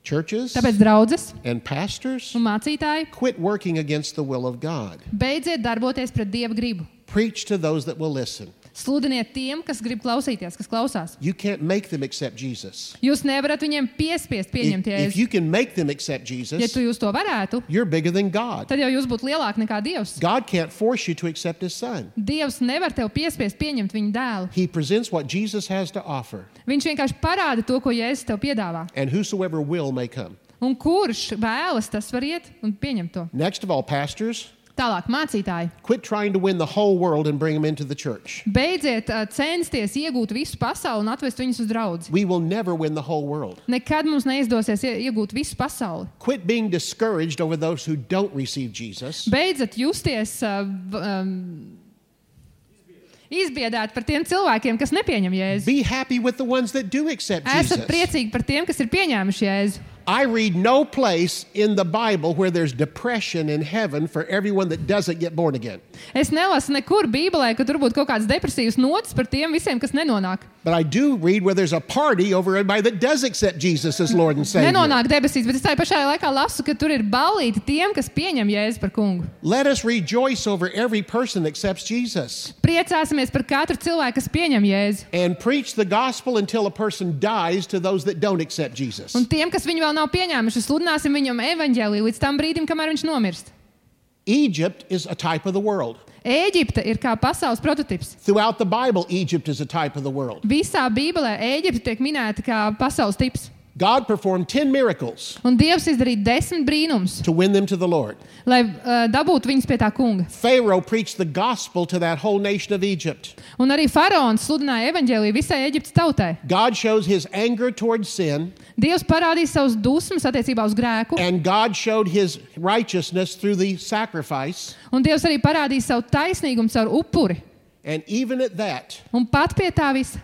churches Tāpēc, draudzes and pastors, un mācītāji, quit working against the will of God. beidziet darboties pret Dieva gribu. Preach to those that will listen. Sludiniet tiem, kas grib klausīties, kas klausās. You can't make them accept Jesus. Jūs nevarat viņiem piespiest pieņemt If, if Jēzu. you can make them accept Ja Jesus, tu jūs to varētu, you're bigger than God. tad jau jūs būtu lielāki nekā Dievs. God can't force you to accept His Son. Dievs nevar tev piespiest pieņemt viņa dēlu. He presents what Jesus has to offer, Viņš vienkārši parāda to, ko Jēzus tev piedāvā. and whosoever will may come. Un kurš vēlas, tas var iet un pieņemt to. Next of all, pastors, Tālāk, mācītāji, quit trying to win the whole world and bring them into the church. beidziet uh, censties iegūt visu pasauli un atvest viņus uz draudzi. We will never win the whole world. Nekad mums neizdosies ie- iegūt visu pasauli. Quit being discouraged over those who don't receive Jesus. Beidzat justies uh, v- um, izbiedēt par tiem cilvēkiem, kas nepieņem Jēzu. Be happy with the ones that do accept Esat Jesus. priecīgi par tiem, kas ir pieņēmuši Jēzu. I read no place in the Bible where there's depression in heaven for everyone that doesn't get born again. Es nelasu nekur Bībelē, ka tur būtu kaut kāds depresīvs nots par tiem visiem, kas nenonāk. But I do read where there's a party over everybody that does accept Jesus as Lord and Savior. Nenonāk debesīs, bet es tajā pašā laikā lasu, ka tur ir ballīti tiem, kas pieņem Jēzu par kungu. Let us rejoice over every person that accepts Jesus. Priecāsimies par katru cilvēku, kas pieņem Jēzu. And preach the gospel until a person dies to those that don't accept Jesus. Un tiem, kas viņu vēl nav pieņēmuši, sludināsim viņam evaņģēliju līdz tam brīdim, kamēr viņš nomirst. Egypt is a type of the world. Ēģipte ir kā pasaules prototips. Throughout the Bible, Egypt is a type of the world. Visā Bībelē Ēģipte tiek minēta kā pasaules tips. God performed ten miracles Un Dievs izdarīja desmit brīnums, to win them to the Lord. lai uh, dabūtu viņus pie tā kunga. Pharaoh preached the gospel to that whole nation of Egypt. Un arī faraons sludināja evaņģēliju visai Ēģiptes tautai. God shows his anger towards sin, Dievs parādīja savus dusmas attiecībā uz grēku, and God showed his righteousness through the sacrifice. un Dievs arī parādīja savu taisnīgumu caur upuri. And even at that, Un pat pie tā visa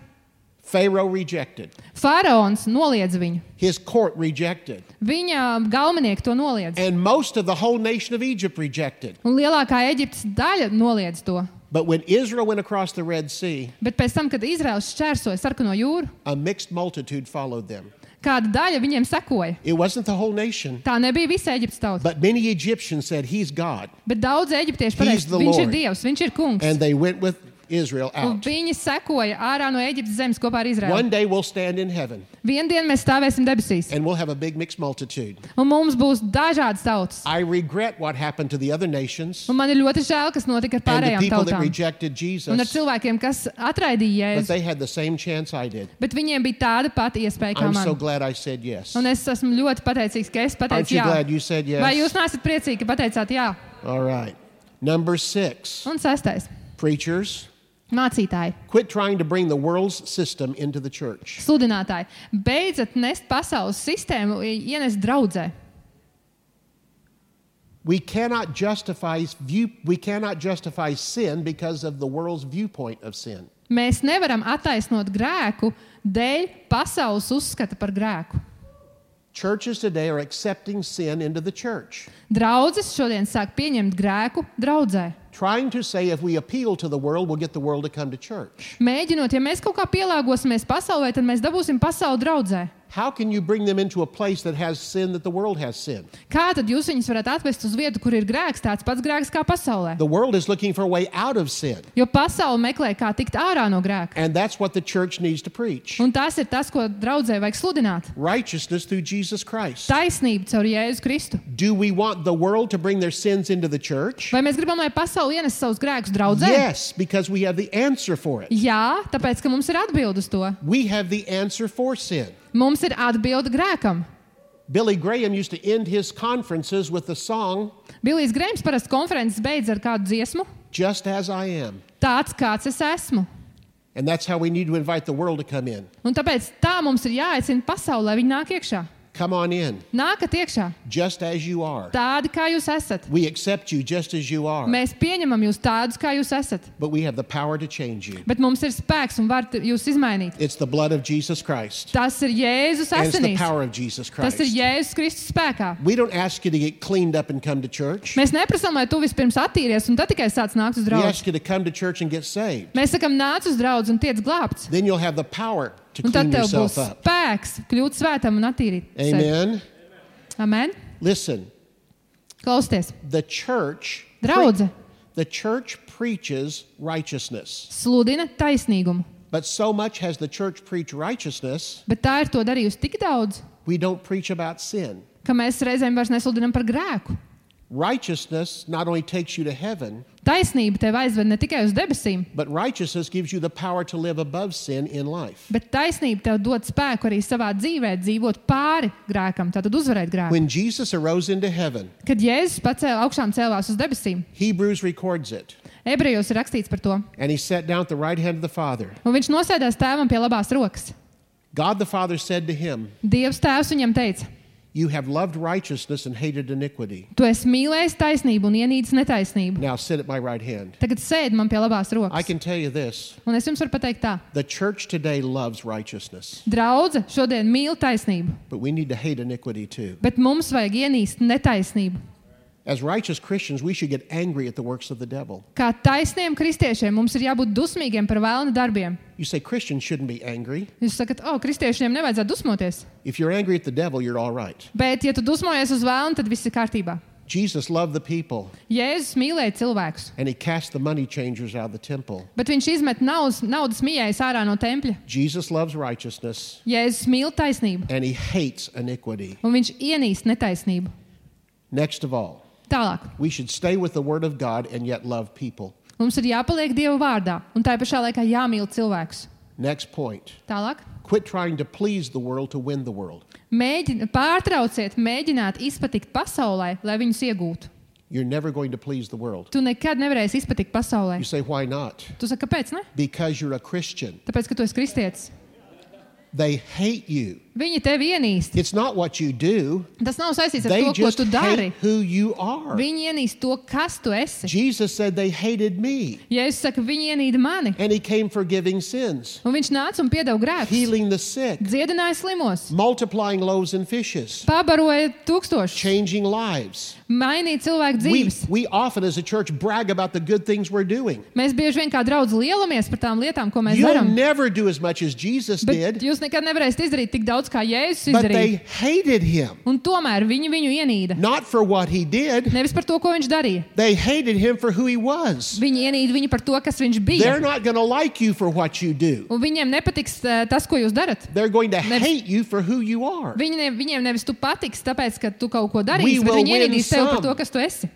Pharaoh rejected. faraons noliedza viņu. His court rejected. Viņa galvenieki to noliedza. And most of the whole nation of Egypt rejected. Un lielākā Ēģiptes daļa noliedza to. But when Israel went across the Red Sea, Bet pēc tam, kad Izraels šķērsoja Sarkano jūru, a mixed multitude followed them. kāda daļa viņiem sekoja. It wasn't the whole nation, Tā nebija visa Ēģiptes tauta. but many Egyptians said, He's God. Bet daudz eģiptieši He's pateica, the viņš ir Lord. Dievs, viņš ir kungs. And they went with Israel Un out. viņi sekoja ārā no Ēģiptes zemes kopā ar Izraelu. One day we'll stand in heaven Vienu dienu mēs stāvēsim debesīs. and we'll have a big mixed multitude. Un mums būs dažādas tautas. I regret what happened to the other nations Un man ir ļoti žēl, kas notika ar and the pārējām people that tautām. rejected Un ar Jesus, cilvēkiem, kas atraidīja but Jēzu. they had the same chance I did. Bet viņiem bija tāda pati iespēja kā I'm so man. glad I said yes. Un es esmu ļoti pateicīgs, ka es Aren't pateicu you jā. glad you said Vai yes? jūs neesat priecīgi, ka pateicāt jā? All right. Number six, Un sestais. preachers, Mācītāji, quit trying to bring the world's system into the church. sludinātāji, beidzat nest pasaules sistēmu, ienest draudzē. We cannot justify view, we cannot justify sin because of the world's viewpoint of sin. Mēs nevaram attaisnot grēku dēļ pasaules uzskata par grēku. Churches today are accepting sin into the church, Draudzes šodien sāk pieņemt grēku draudzē. trying to say if we appeal to the world, we'll get the world to come to church. Mēģinot, ja mēs kaut kā pielāgosimies pasaulē, tad mēs dabūsim pasauli draudzē. How can you bring them into a place that has sin that the world has sin? Kā tad jūs viņus varat atvest uz vietu, kur ir grēks, tāds pats grēks kā pasaulē? The world is looking for a way out of sin, Jo pasaule meklē, kā tikt ārā no grēka. and that's what the church needs to preach. Un tas ir tas, ko draudzē vajag sludināt. Righteousness through Jesus Christ. Taisnība caur Jēzu Kristu. Do we want the world to bring their sins into the church? Vai mēs gribam, lai pasaule ienes savus grēkus draudzē? Yes, because we have the answer for it. Jā, tāpēc, ka mums ir atbilde uz to. We have the answer for sin. Mums ir atbilde grēkam. Billy Graham used to end his conferences with the song, Bilijs Grēms parasti konferences beidz ar kādu dziesmu. Just As I Am. Tāds, kāds es esmu. And that's how we need to invite the world to come in. Un tāpēc tā mums ir jāaicina pasaulē, lai viņi nāk iekšā. Come on in, Nākat iekšā, just as you are. tādi, kā jūs esat. We accept you just as you are, Mēs pieņemam jūs tādus, kā jūs esat. but we have the power to change you. Bet mums ir spēks un var jūs izmainīt. It's the blood of Jesus Christ. Tas ir Jēzus And it's the asinīs. power of Jesus Tas ir Christ. Jēzus Kristus spēkā. We don't ask you to get cleaned up and come to church. Mēs neprasām, lai tu vispirms attīries un tad tikai sāc nākt uz We draugu. ask you to come to church and get saved. Mēs sakam, nāc uz draugu un tiec glābts. Then you'll have the power to Un tad clean tev būs yourself up. spēks kļūt svētam un attīrīt sevi. Amen. Amen. Listen, Klausieties. the church Draudze the church preaches righteousness. sludina taisnīgumu. But so much has the church preached righteousness, Bet tā ir to darījusi tik daudz, we don't preach about sin. ka mēs reizēm vairs nesludinam par grēku. Righteousness not only takes you to heaven, Taisnība tev aizved ne tikai uz debesīm, but righteousness gives you the power to live above sin in life. bet taisnība tev dod spēku arī savā dzīvē dzīvot pāri grēkam, tātad uzvarēt grēku. When Jesus arose into heaven, Kad Jēzus pacēla augšām cēlās uz debesīm, Hebrews records it, ebrejos ir rakstīts par to, and he sat down at the right hand of the Father. un viņš nosēdās tēvam pie labās rokas. God the Father said to him, Dievs tēvs viņam teica, You have loved righteousness and hated iniquity. Tu esi mīlējis taisnību un ienīdis netaisnību. Now sit at my right hand. Tagad sēdi man pie labās I rokas. can tell you this. Un es jums varu pateikt tā. The church today loves righteousness, Draudze šodien mīl taisnību, but we need to hate iniquity too. bet mums vajag ienīst netaisnību. As righteous Christians, we should get angry at the works of the devil. Kā taisniem kristiešiem mums ir jābūt dusmīgiem par vēlna darbiem. You say Christians shouldn't be angry. Jūs sakat, o, kristiešiem nevajadzētu dusmoties. If you're angry at the devil, you're all right. Bet, ja tu dusmojies uz vēlnu, tad viss ir kārtībā. Jesus loved the people, Jēzus mīlēja cilvēkus, and he cast the money changers out of the temple. bet viņš izmet naudas, naudas mījējus ārā no tempļa. Jesus loves righteousness, Jēzus mīl taisnību, and he hates iniquity. un viņš ienīst netaisnību. Next of all, Tālāk. we should stay with the word of God and yet love people. Mums ir jāpaliek Dieva vārdā, un tā pašā laikā jāmīl cilvēkus. Next point. Tālāk. Quit trying to please the world to win the world. Mēģin, pārtrauciet, mēģināt izpatikt pasaulē, lai viņus iegūtu. You're never going to please the world. Tu nekad nevarēsi izpatikt pasaulē. You say, why not? Tu saki, kāpēc ne? Because you're a Christian. Tāpēc, ka tu esi kristietis. They hate you. Viņi tevi ienīst. It's not what you do. Tas nav saistīts ar They to, ko just tu dari. hate who you are. Viņi ienīst to, kas tu esi. Jesus said they hated me. Jēzus saka, viņi ienīda mani. And he came forgiving sins, Un viņš nāca un piedeva grēkus. healing the sick, Dziedināja slimos. multiplying loaves and fishes, Pabaroja tūkstošus. changing lives. Mainīja cilvēku We, dzīves. we often as a church brag about the good things we're doing. Mēs bieži vien kā draudz lielamies par tām lietām, ko mēs You'll darām. never do as much as Jesus Bet did, jūs nekad nevarēsiet izdarīt tik daudz, kā Jēzus but izdarīja. they hated him. Un tomēr viņi viņu ienīda. Not for what he did. Nevis par to, ko viņš darīja. They hated him for who he was. Viņi ienīda viņu par to, kas viņš bija. They're not going to like you for what you do. Un viņiem nepatiks uh, tas, ko jūs darat. They're going to Nevis- hate you for who you are. Viņi ne, viņiem nevis tu patiks, tāpēc, ka tu kaut ko We darīsi, bet will viņi win ienīdīs tevi par some. to, kas tu esi.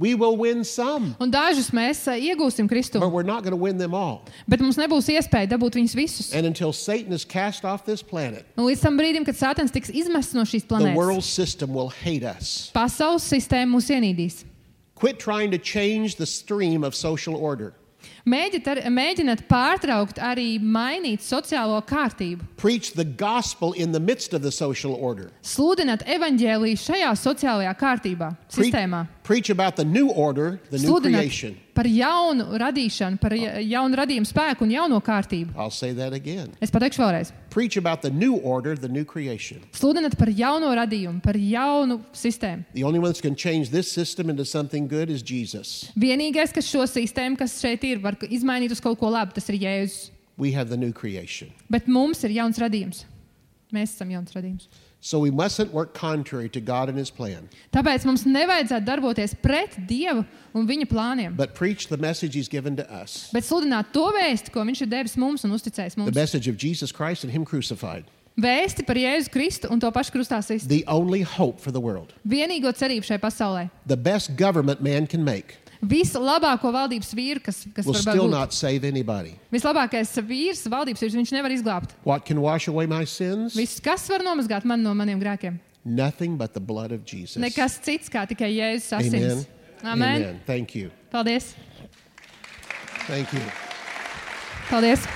We will win some, Un dažus mēs uh, iegūsim Kristu, but we're not going to win them all. bet mums nebūs iespēja dabūt viņus visus. And until Satan is cast off this planet, Un līdz tam brīdim, kad Sātans tiks izmests no šīs the world planētas, system will hate us. pasaules sistēma mūs ienīdīs. Quit trying to change the stream of social order. Mēģināt, ar, mēģināt pārtraukt arī mainīt sociālo kārtību. Preach the gospel in the midst of the social order. Sludināt evaņģēliju šajā sociālajā kārtībā, Pre- sistēmā. preach about the new order, the new creation. Sludināt par jaunu radīšanu, par ja- jaunu radījumu spēku un jauno kārtību. I'll say that again. Es pateikšu vēlreiz. Preach about the new order, the new creation. Sludināt par jauno radījumu, par jaunu sistēmu. The only one that's going to change this system into something good is Jesus. Vienīgais, kas šo sistēmu, kas šeit ir, var izmainīt uz kaut ko labu, tas ir Jēzus. We have the new creation. Bet mums ir jauns radījums. Mēs esam jauns radījums. So we mustn't work contrary to God and his plan, Tāpēc mums nevajadzētu darboties pret Dievu un viņa plāniem, but preach the message he's given to us. bet sludināt to vēsti, ko viņš ir devis mums un uzticējis The mums. message of Jesus Christ and him crucified. Vēsti par Jēzu Kristu un to pašu krustā sistu. The only hope for the world. Vienīgo cerību šai pasaulē. The best government man can make Vislabāko valdības vīru, kas, kas will var still būt. not save anybody. Vislabākais vīrs, valdības vīrs, viņš nevar izglābt. What can wash away my sins? Viss, kas var nomazgāt mani no maniem grēkiem? Nothing but the blood of Jesus. Nekas cits, kā tikai Jēzus Amen. asins. Amen. Amen. Thank you. Paldies. Thank you. Paldies.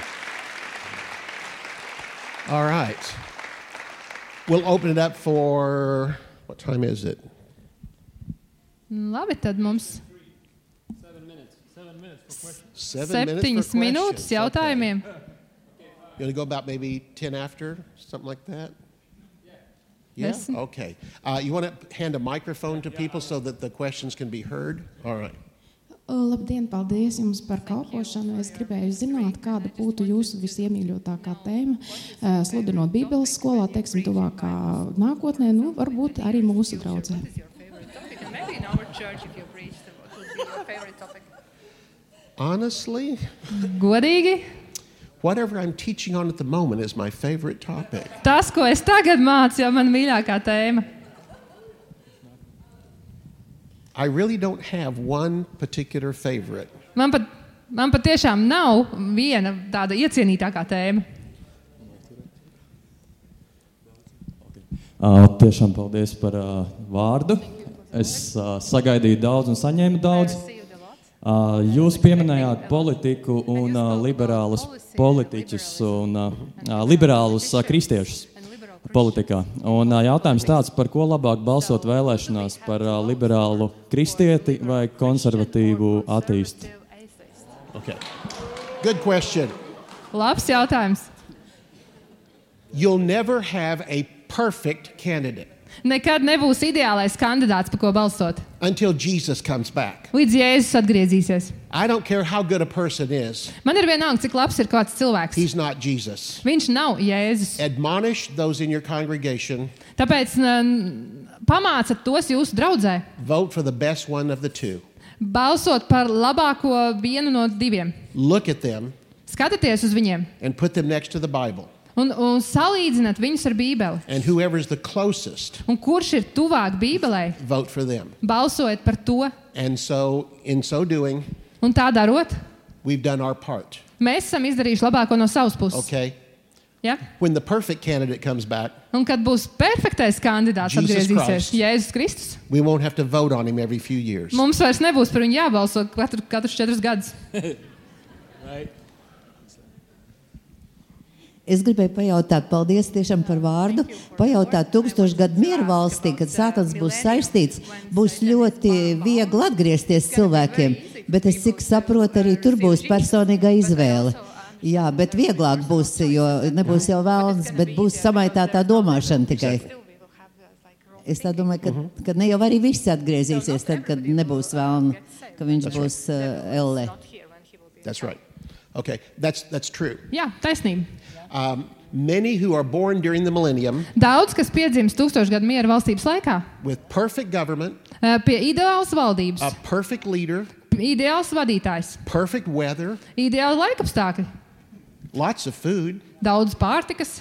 All right. We'll open it up for, what time is it? Labi, tad mums Seven minutes septiņas for minūtes questions. jautājumiem. Okay. You want to go about maybe ten after, something like that? Yeah? Desmit. Okay. Uh, you want to hand a microphone to people so that the questions can be heard? All right. Labdien, paldies jums par kalpošanu. Es gribēju zināt, kāda būtu jūsu visiemīļotākā tēma, eh, sludinot Bībeles skolā, teiksim, tuvākā nākotnē, nu, varbūt arī mūsu draudzē. Honestly, Godīgi, whatever I'm teaching on at the moment is my favorite topic. tas, ko es tagad mācu, jau man mīļākā tēma. I really don't have one particular favorite. Man pat, man pat tiešām nav viena tāda iecienītākā tēma. Uh, tiešām paldies par uh, vārdu. Es uh, sagaidīju daudz un saņēmu daudz. Uh, jūs pieminējāt politiku un uh, liberālus politiķus un uh, uh, liberālus uh, kristiešus. politikā. Un uh, jautājums tāds, par ko labāk balsot vēlēšanās, par uh, liberālu kristieti vai konservatīvu ateistu? Okay. Good question. Labs jautājums. You'll never have a perfect candidate Nekad nebūs ideālais kandidāts, par ko balsot, until Jesus comes back. līdz Jēzus atgriezīsies. I don't care how good a person is. Man ir vienalga, cik labs ir kāds cilvēks. He's not Jesus. Viņš nav Jēzus. Admonish those in your congregation. Tāpēc n- pamācat tos jūsu draudzē. Vote for the best one of the two. Balsot par labāko vienu no diviem. Look at them Skatieties uz viņiem and put them next to the Bible. un, un salīdzināt viņus ar Bībeli. And whoever's the closest, Un kurš ir tuvāk Bībelei, vote for them. balsojiet par to. And so, in so doing, Un tā darot, we've done our part. mēs esam izdarījuši labāko no savas puses. Okay? Ja? When the perfect candidate comes back, Un kad būs perfektais kandidāts Jesus atgriezīsies, Christ. Jēzus Kristus, we won't have to vote on him every few years. mums vairs nebūs par viņu jābalso katru, katrus četrus gadus. Es gribēju pajautāt, paldies tiešām par vārdu, pajautāt tūkstošu gadu mieru valstī, kad Sātans būs saistīts, būs ļoti viegli atgriezties cilvēkiem, bet es cik saprotu, arī tur būs personīga izvēle. Jā, bet vieglāk būs, jo nebūs jau vēlns, bet būs samaitātā domāšana tikai. Es tā domāju, ka, ka ne jau arī visi atgriezīsies tad, kad nebūs vēlna, ka viņš That's būs uh, elle. That's right. Okay, that's, that's true. Jā, taisnība. Um, many who are born during the millennium Daudz, kas piedzimst tūkstošu gadu miera valstības laikā, with perfect government, eh, pie ideālas valdības, a perfect leader, ideāls vadītājs, perfect weather, ideāli laikapstākļi, lots of food, daudz pārtikas,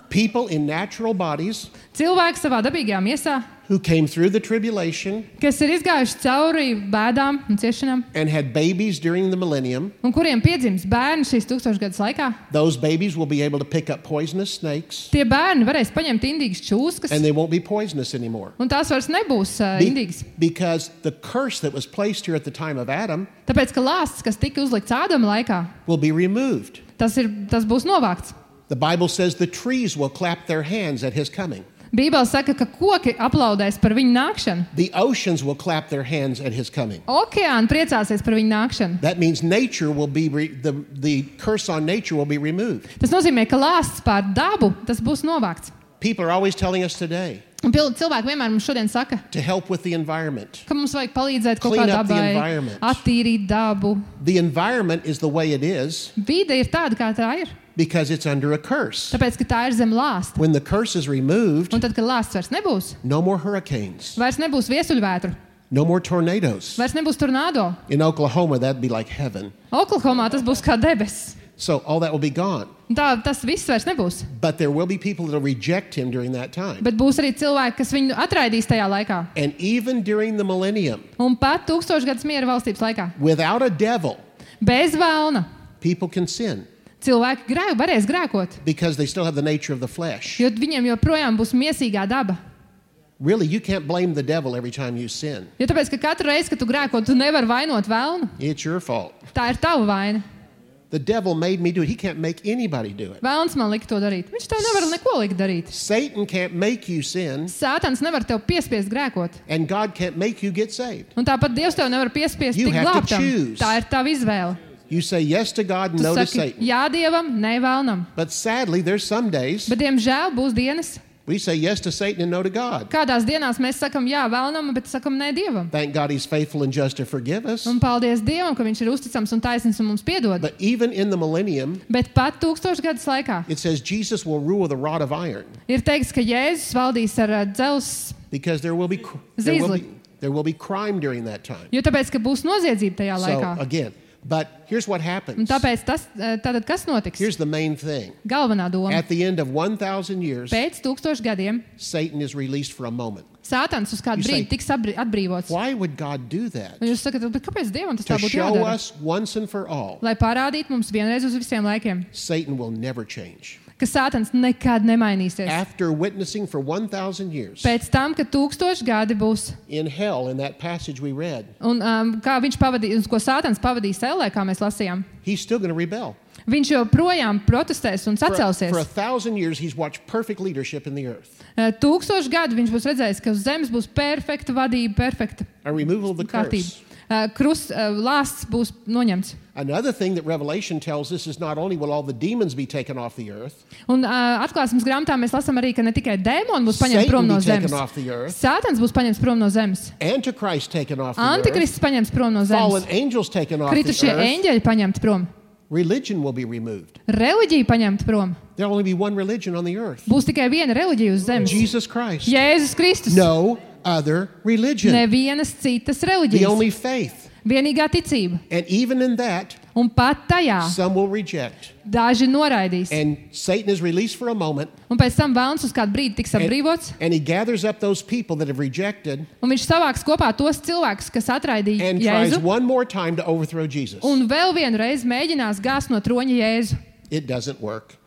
people in natural bodies cilvēki savā dabīgajā miesā, who came through the tribulation kas ir izgājuši cauri bēdām un ciešanām, and had babies during the millennium. un kuriem piedzims bērni šīs tūkstošgadus laikā. Those babies will be able to pick up poisonous snakes, Tie bērni varēs paņemt indīgas čūskas, and they won't be poisonous anymore. un tās vairs nebūs uh, Be- indīgas. because the curse that was placed here at the time of Adam Tāpēc, ka lāsts, kas tika uzlikts Ādama laikā, will be removed. tas, ir, tas būs novākts. The Bible says the trees will clap their hands at his coming. Bībele saka, ka koki aplaudēs par viņu nākšanu. The oceans will clap their hands at his coming. Okeāni priecāsies par viņu nākšanu. That means nature will be re- the the curse on nature will be removed. Tas nozīmē, ka lāsts pār dabu, tas būs novākts. People are always telling us today Un pil- cilvēki vienmēr mums šodien saka, to help with the environment. ka mums vajag palīdzēt kaut Clean kā up the dabai, environment. attīrīt dabu. The environment is the way it is Vide ir tāda, kā tā ir. because it's under a curse. Tāpēc, ka tā ir zem lāsta. When the curse is removed, Un tad, kad lāsts vairs nebūs, no more hurricanes, vairs nebūs viesuļvētru, no more tornadoes. vairs nebūs tornado. In Oklahoma, that'd be like heaven. Oklahomā tas būs kā debesis. So all that will be gone. Un Tā, tas viss vairs nebūs. But there will be people that will reject him during that time. Bet būs arī cilvēki, kas viņu atraidīs tajā laikā. And even during the millennium, Un pat tūkstošgadus miera valstības laikā. without a devil, Bez vēlna. people can sin Cilvēki grē, varēs grēkot, because they still have the nature of the flesh. jo viņiem joprojām būs miesīgā daba. Really, you can't blame the devil every time you sin. Jo tāpēc, ka katru reizi, kad tu grēko, tu nevari vainot vēlnu. It's your fault. Tā ir tava vaina. The devil made me do it. He can't make anybody do it. Vēlns man lika to darīt. Viņš tev nevar neko likt darīt. Satan can't make you sin, Sātans nevar tev piespiest grēkot. and God can't make you get saved. Un tāpat Dievs tev nevar piespiest You tik have to glābtam. choose. Tā ir tava izvēle. You say yes to God and Tu no to saki Satan. jā Dievam, ne vēlnam. But sadly, there's some days Bet, diemžēl, būs dienas, we say yes to Satan and no to God. kādās dienās mēs sakam jā vēlnam, bet sakam nē Dievam. Thank God he's faithful and just to forgive us. Un paldies Dievam, ka viņš ir uzticams un taisnīgs un mums piedod. But even in the millennium, Bet pat tūkstošgadus laikā it says Jesus will rule with a rod of iron ir teikts, ka Jēzus valdīs ar uh, dzelzs, because there will be cr- there will be, there will be crime during that time. jo tāpēc, ka būs noziedzība tajā So laikā. again, but here's what Un happens. tāpēc tas, uh, tātad kas notiks? Here's the main thing. Galvenā doma. At the end of one thousand years, Pēc tūkstošu gadiem Satan is released for a moment. Sātans uz kādu You say, brīdi tiks abri- atbrīvots. Why would God do that? Un jūs sakat, bet kāpēc Dievam tas To tā būtu show jādara? us once and for all, Lai parādītu mums vienreiz uz visiem laikiem, Satan will never change. ka Sātans nekad nemainīsies. After witnessing for one thousand years Pēc tam, kad tūkstoši gadi būs, in hell, in that passage we read, un um, kā viņš pavadīs, ko Sātans pavadīs ellē, kā mēs lasījām, he's still going to rebel. viņš joprojām protestēs un For, sacelsies. for a thousand years, he's watched perfect leadership in the earth. Uh, Tūkstoši gadu viņš būs redzējis, ka uz zemes būs perfekta vadība, perfekta A removal of the kārtība. curse. Uh, Krus, uh, lāsts būs noņemts. Another thing that Revelation tells us is not only will all the demons be taken off the earth, Un uh, atklāsmes grāmatā mēs lasām arī, ka ne tikai dēmoni būs Satan paņemti prom no be taken zemes. off the earth, Sātans būs paņemts prom no zemes. Antichrist taken off the earth, Antikrists paņemts prom no fallen zemes. angels taken off the Kritušie earth, eņģeļi paņemti prom. religion will be removed. Reliģija paņemta prom. There'll only be one religion on the earth, Būs tikai viena reliģija uz zemes. Jesus Christ. Jēzus Kristus. No other religion. Nevienas citas The reliģijas. only faith. Vienīgā ticība. And even in that, Un pat tajā some will reject. daži noraidīs. And Satan is released for a moment, Un pēc tam velns uz kādu brīdi tiks and, atbrīvots. and he gathers up those people that have rejected Un viņš savāks kopā tos cilvēkus, kas atraidīja and tries Jēzu. one more time to overthrow Jesus. Un vēl vienu reizi mēģinās gāzt no troņa Jēzu. It doesn't work.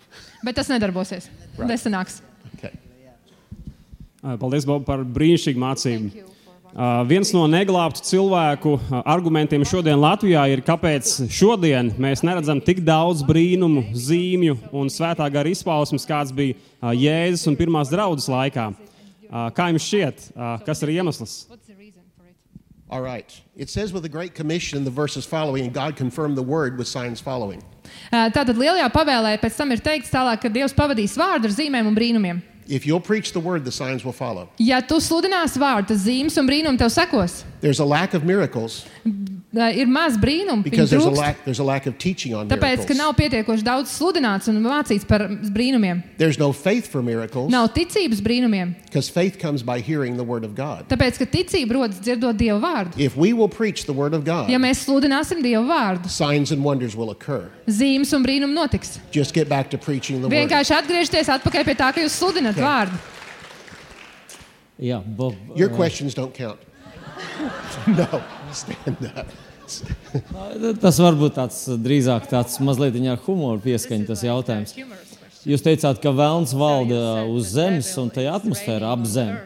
Bet tas nedarbosies. Right. Nesanāks. Okay. Paldies, Bob, par brīnišķīgu mācību. Uh, viens no neglābtu cilvēku uh, argumentiem šodien Latvijā ir, kāpēc šodien mēs neredzam tik daudz brīnumu, zīmju un svētā gara izpausmes, kāds bija uh, Jēzus un pirmās draudzes laikā. Uh, kā jums šķiet, uh, kas ir iemesls? All right. It says with the Great Commission in the verses following, and God confirmed the word with signs following. Uh, Tātad lielajā pavēlē pēc tam ir teikts tālāk, ka Dievs pavadīs vārdu ar zīmēm un brīnumiem. If you'll preach the word, the signs will follow. Ja tu sludināsi vārdu, tad zīmes un brīnumi tev sekos. There's a lack of miracles Uh, Ir maz brīnumu, because viņu there's a trūkst. lack, there's a lack of teaching on Tāpēc, ka miracles. nav pietiekoši daudz sludināts un mācīts par brīnumiem. There's no faith for miracles Nav ticības brīnumiem. because faith comes by hearing the word of God. Tāpēc, ka ticība rodas dzirdot Dieva vārdu. If we will preach the word of God, Ja mēs sludināsim Dieva vārdu, signs and wonders will occur. zīmes un brīnumi notiks. Just get back to preaching the word. Vienkārši atgriežties atpakaļ pie tā, ka jūs sludināt vārdu. Jā, Bob, Your uh, questions don't count. No, stand up. tas varbūt tāds drīzāk tāds mazliet ar humoru pieskaņa tas jautājums. Jūs teicāt, ka velns valda uz zemes un tajā atmosfērā ap zemi.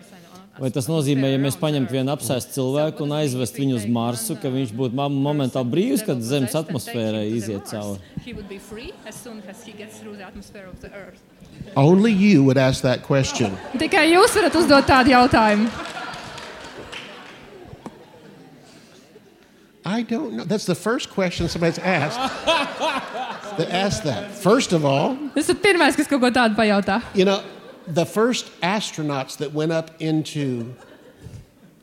Vai tas nozīmē, ja mēs paņemtu vienu apsēstu cilvēku un aizvest viņu uz Marsu, ka viņš būtu momentāli brīvs, kad zemes atmosfērai iziet cauri? Only you would ask that question. Tikai jūs varat uzdot tādu jautājumu. I don't know. That's the first question somebody's asked. That asked that. First of all, Tas ir pirmais, kas kaut ko tādu pajautā. you know, the first astronauts that went up into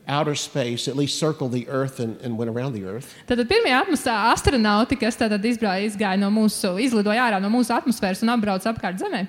outer space, at least circled the Earth and, and went around the Earth, Tātad pirmie atmosfēra astronauti, kas tātad izbrauca, izgāja no mūsu, izlidoja ārā no mūsu atmosfēras un apbrauca apkārt Zemē.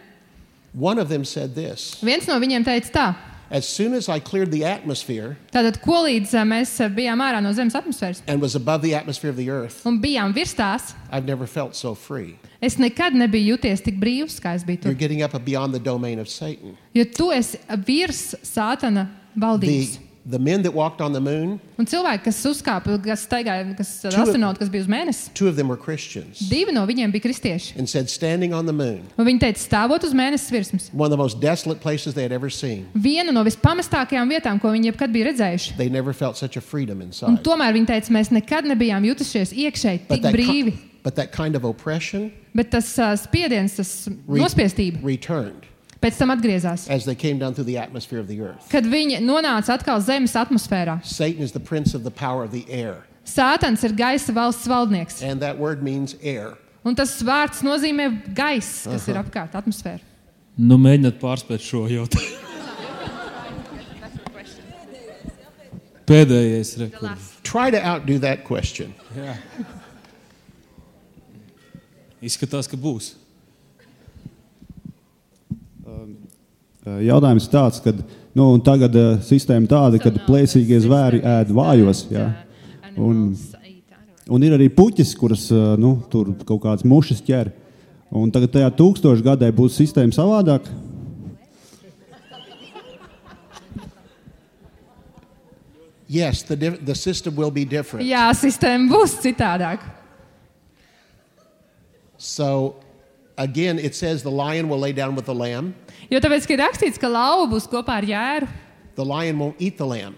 one of them said this: Viens no viņiem teica tā. as soon as I cleared the atmosphere Tātad, ko līdz ā, mēs ā, bijām ārā no Zemes atmosfēras and was above the atmosphere of the Earth, un bijām virs tās, I've never felt so free. es nekad nebiju jūties tik brīvs, kā es biju You're tur. getting up beyond the domain of Satan. Jo tu esi virs Sātana The, valdības. the men that walked on the moon, Un cilvēki, kas uzkāpa, kas staigāja, kas Two- astronauti, kas bija uz mēnesi, two of them were Christians, divi no viņiem bija kristieši. and said standing on the moon, Un viņi teica, stāvot uz mēnesis virsmas. one of the most desolate places they had ever seen, Viena no vispamestākajām vietām, ko viņi jebkad bija redzējuši. they never felt such a freedom Un inside. tomēr viņi teica, mēs nekad nebijām jutušies iekšēji But tik that, brīvi. ki- but that kind of oppression Bet tas uh, spiediens, tas re- nospiestība, returned pēc tam atgriezās. as they came down through the atmosphere of the earth. Kad viņi nonāca atkal Zemes atmosfērā. Satan is the prince of the power of the air, Sātans ir gaisa valsts valdnieks. and that word means air. Un tas vārds nozīmē gaiss, kas ir apkārt atmosfēra. Nu, mēģināt pārspēt šo jautājumu. Pēdējais rekords. Try to outdo that question. Izskatās, ka būs. Jautājums ir tāds, ka nu, tagad uh, sistēma tāda, ka plēsīgie zvēri ēd vājos. Jā. Un, un ir arī puķis, kuras uh, nu, tur kaut kādas mušas ķer. Un tagad tajā tūkstošu gadē būs sistēma savādāk. Yes, the, diff- the system will be different. Jā, sistēma būs citādāk. So, Again, it says the lion will lay down with the lamb. Jo tāpēc, ka ir rakstīts, ka lauva būs kopā ar jēru. The lion won't eat the lamb.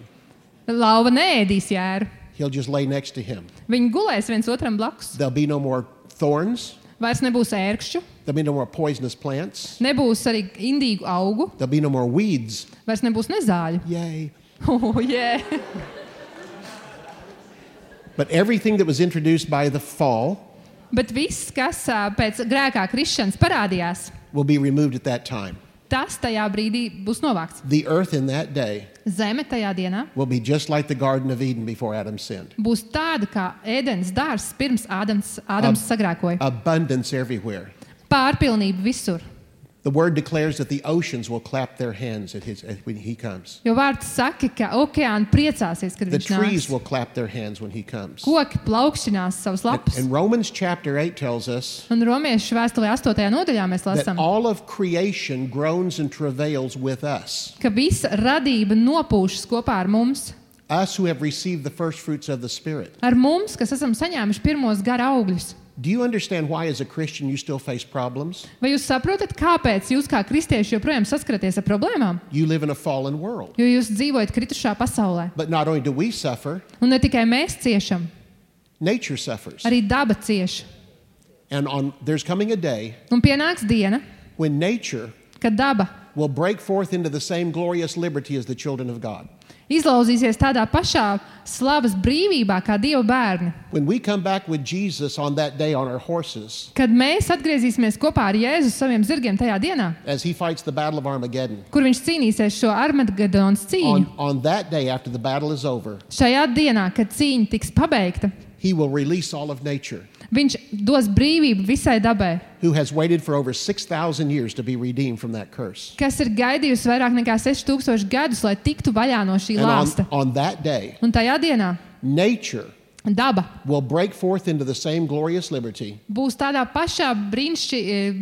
Lauva neēdīs jēru. He'll just lay next to him. Viņi gulēs viens otram blakus. There'll be no more thorns. Vairs nebūs ērkšķu. There'll be no more poisonous plants. Nebūs arī indīgu augu. There'll be no more weeds. Vairs nebūs nezāļu. Yay. Oh, yeah. But everything that was introduced by the fall Bet viss, kas ā, pēc grēkā krišanas parādījās, will be removed at that time. tas tajā brīdī būs novākts. The earth in that day Zeme tajā dienā will be just like the Garden of Eden before Adam sinned. būs tāda kā ēdens dārzs pirms Ādams, Ādams sagrēkoja. Abundance everywhere. Pārpilnība visur. The word declares that the oceans will clap their hands at his, at when he comes. Jo vārds saka, ka okeāni priecāsies, kad The viņš trees nāks. will clap their hands when he comes. Koki plaukšķinās savus lapus. And Romans chapter eight tells us Un Romiešu vēstulē astotajā nodaļā mēs that lasām, all of creation groans and travails with us. ka visa radība nopūšas kopā ar mums. Us who have received the first fruits of the Spirit. Ar mums, kas esam saņēmuši pirmos gara augļus. Do you understand why, as a Christian, you still face problems? Vai jūs saprotat, kāpēc jūs kā kristieši joprojām saskaraties ar problēmām? You live in a fallen world. Jo jūs dzīvojat kritušā pasaulē. But not only do we suffer, Un ne tikai mēs ciešam, nature suffers. arī daba cieš. And on, there's coming a day Un pienāks diena, when nature kad daba will break forth into the same glorious liberty as the children of God. izlauzīsies tādā pašā slavas brīvībā kā Dieva bērni. When we come back with Jesus on that day on our horses, Kad mēs atgriezīsimies kopā ar Jēzu saviem zirgiem tajā dienā, as he fights the battle of Armageddon, kur viņš cīnīsies šo Armagedonas cīņu, on, on that day after the battle is over, šajā dienā, kad cīņa tiks pabeigta, he will release all of nature, viņš dos brīvību visai dabai, who has waited for over six thousand years to be redeemed from that curse. kas ir gaidījusi vairāk nekā seši tūkstoši gadus, lai tiktu vaļā no šī And on, lāsta. on that day, Un tajā dienā nature daba will break forth into the same glorious liberty būs tādā pašā brīnišķi, eh,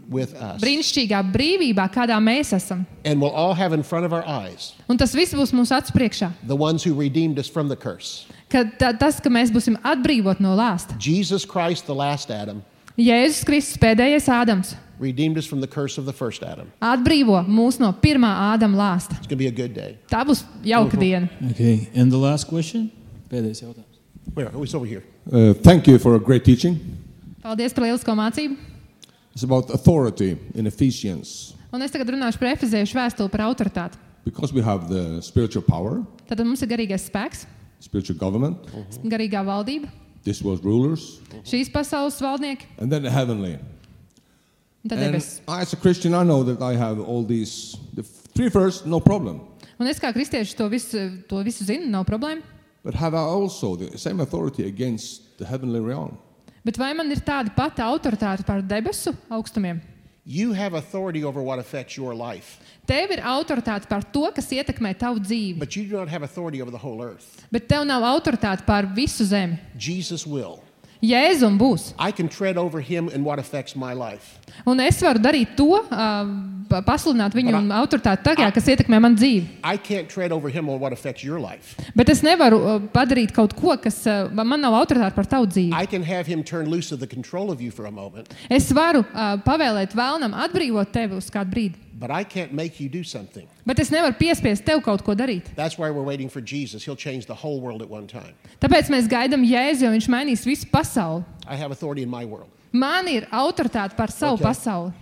with us. brīnišķīgā brīvībā, kādā mēs esam. And we'll all have in front of our eyes Un tas viss būs mūsu acu priekšā. the ones who redeemed us from the curse. Kad ta, tas, ka mēs būsim atbrīvot no lāsta. Jesus Christ, the last Adam, Jēzus Kristus, pēdējais Ādams, redeemed us from the curse of the first Adam. atbrīvo mūs no pirmā Ādama lāsta. It's going to be a good day. Tā būs jauka diena. Okay, and the last question? Pēdējais jautājums. Where? Oh, it's over here. Uh, thank you for a great teaching. Paldies par lielisko mācību. It's about authority in Ephesians. Un es tagad runāšu par efeziešu vēstuli par autoritāti. Because we have the spiritual power, Tad mums ir garīgais spēks, spiritual government, garīgā valdība, this world rulers, šīs pasaules valdnieki and then the heavenly. un tad And debesis. as a Christian, I know that I have all these, the three first, no problem. Un es kā kristieši to visu, to visu zinu, nav problēma. But have I also the same authority against the heavenly realm? Bet vai man ir tāda pati autoritāte pār debesu augstumiem? You have authority over what affects your life, Tev ir autoritāte pār to, kas ietekmē tavu dzīvi, but you do not have authority over the whole earth. bet tev nav autoritāte pār visu zemi. Jesus will. Jēzum būs. I can tread over him and what affects my life. Un es varu darīt to, uh, pasludināt viņu But I- autoritāti tagad, kas ietekmē manu dzīvi. I can't tread over him on what affects your life. Bet es nevaru uh, padarīt kaut ko, kas uh, man nav autoritāte par tavu dzīvi. I can have him turn loose of the control of you for a moment, Es varu uh, pavēlēt vēlnam atbrīvot tevi uz kādu brīdi. but I can't make you do something. Bet es nevaru piespiest tev kaut ko darīt. That's why we're waiting for Jesus. He'll change the whole world at one time. Tāpēc mēs gaidām Jēzu, jo viņš mainīs visu pasauli. I have authority in my world. Man ir autoritāte par savu Okay. pasauli.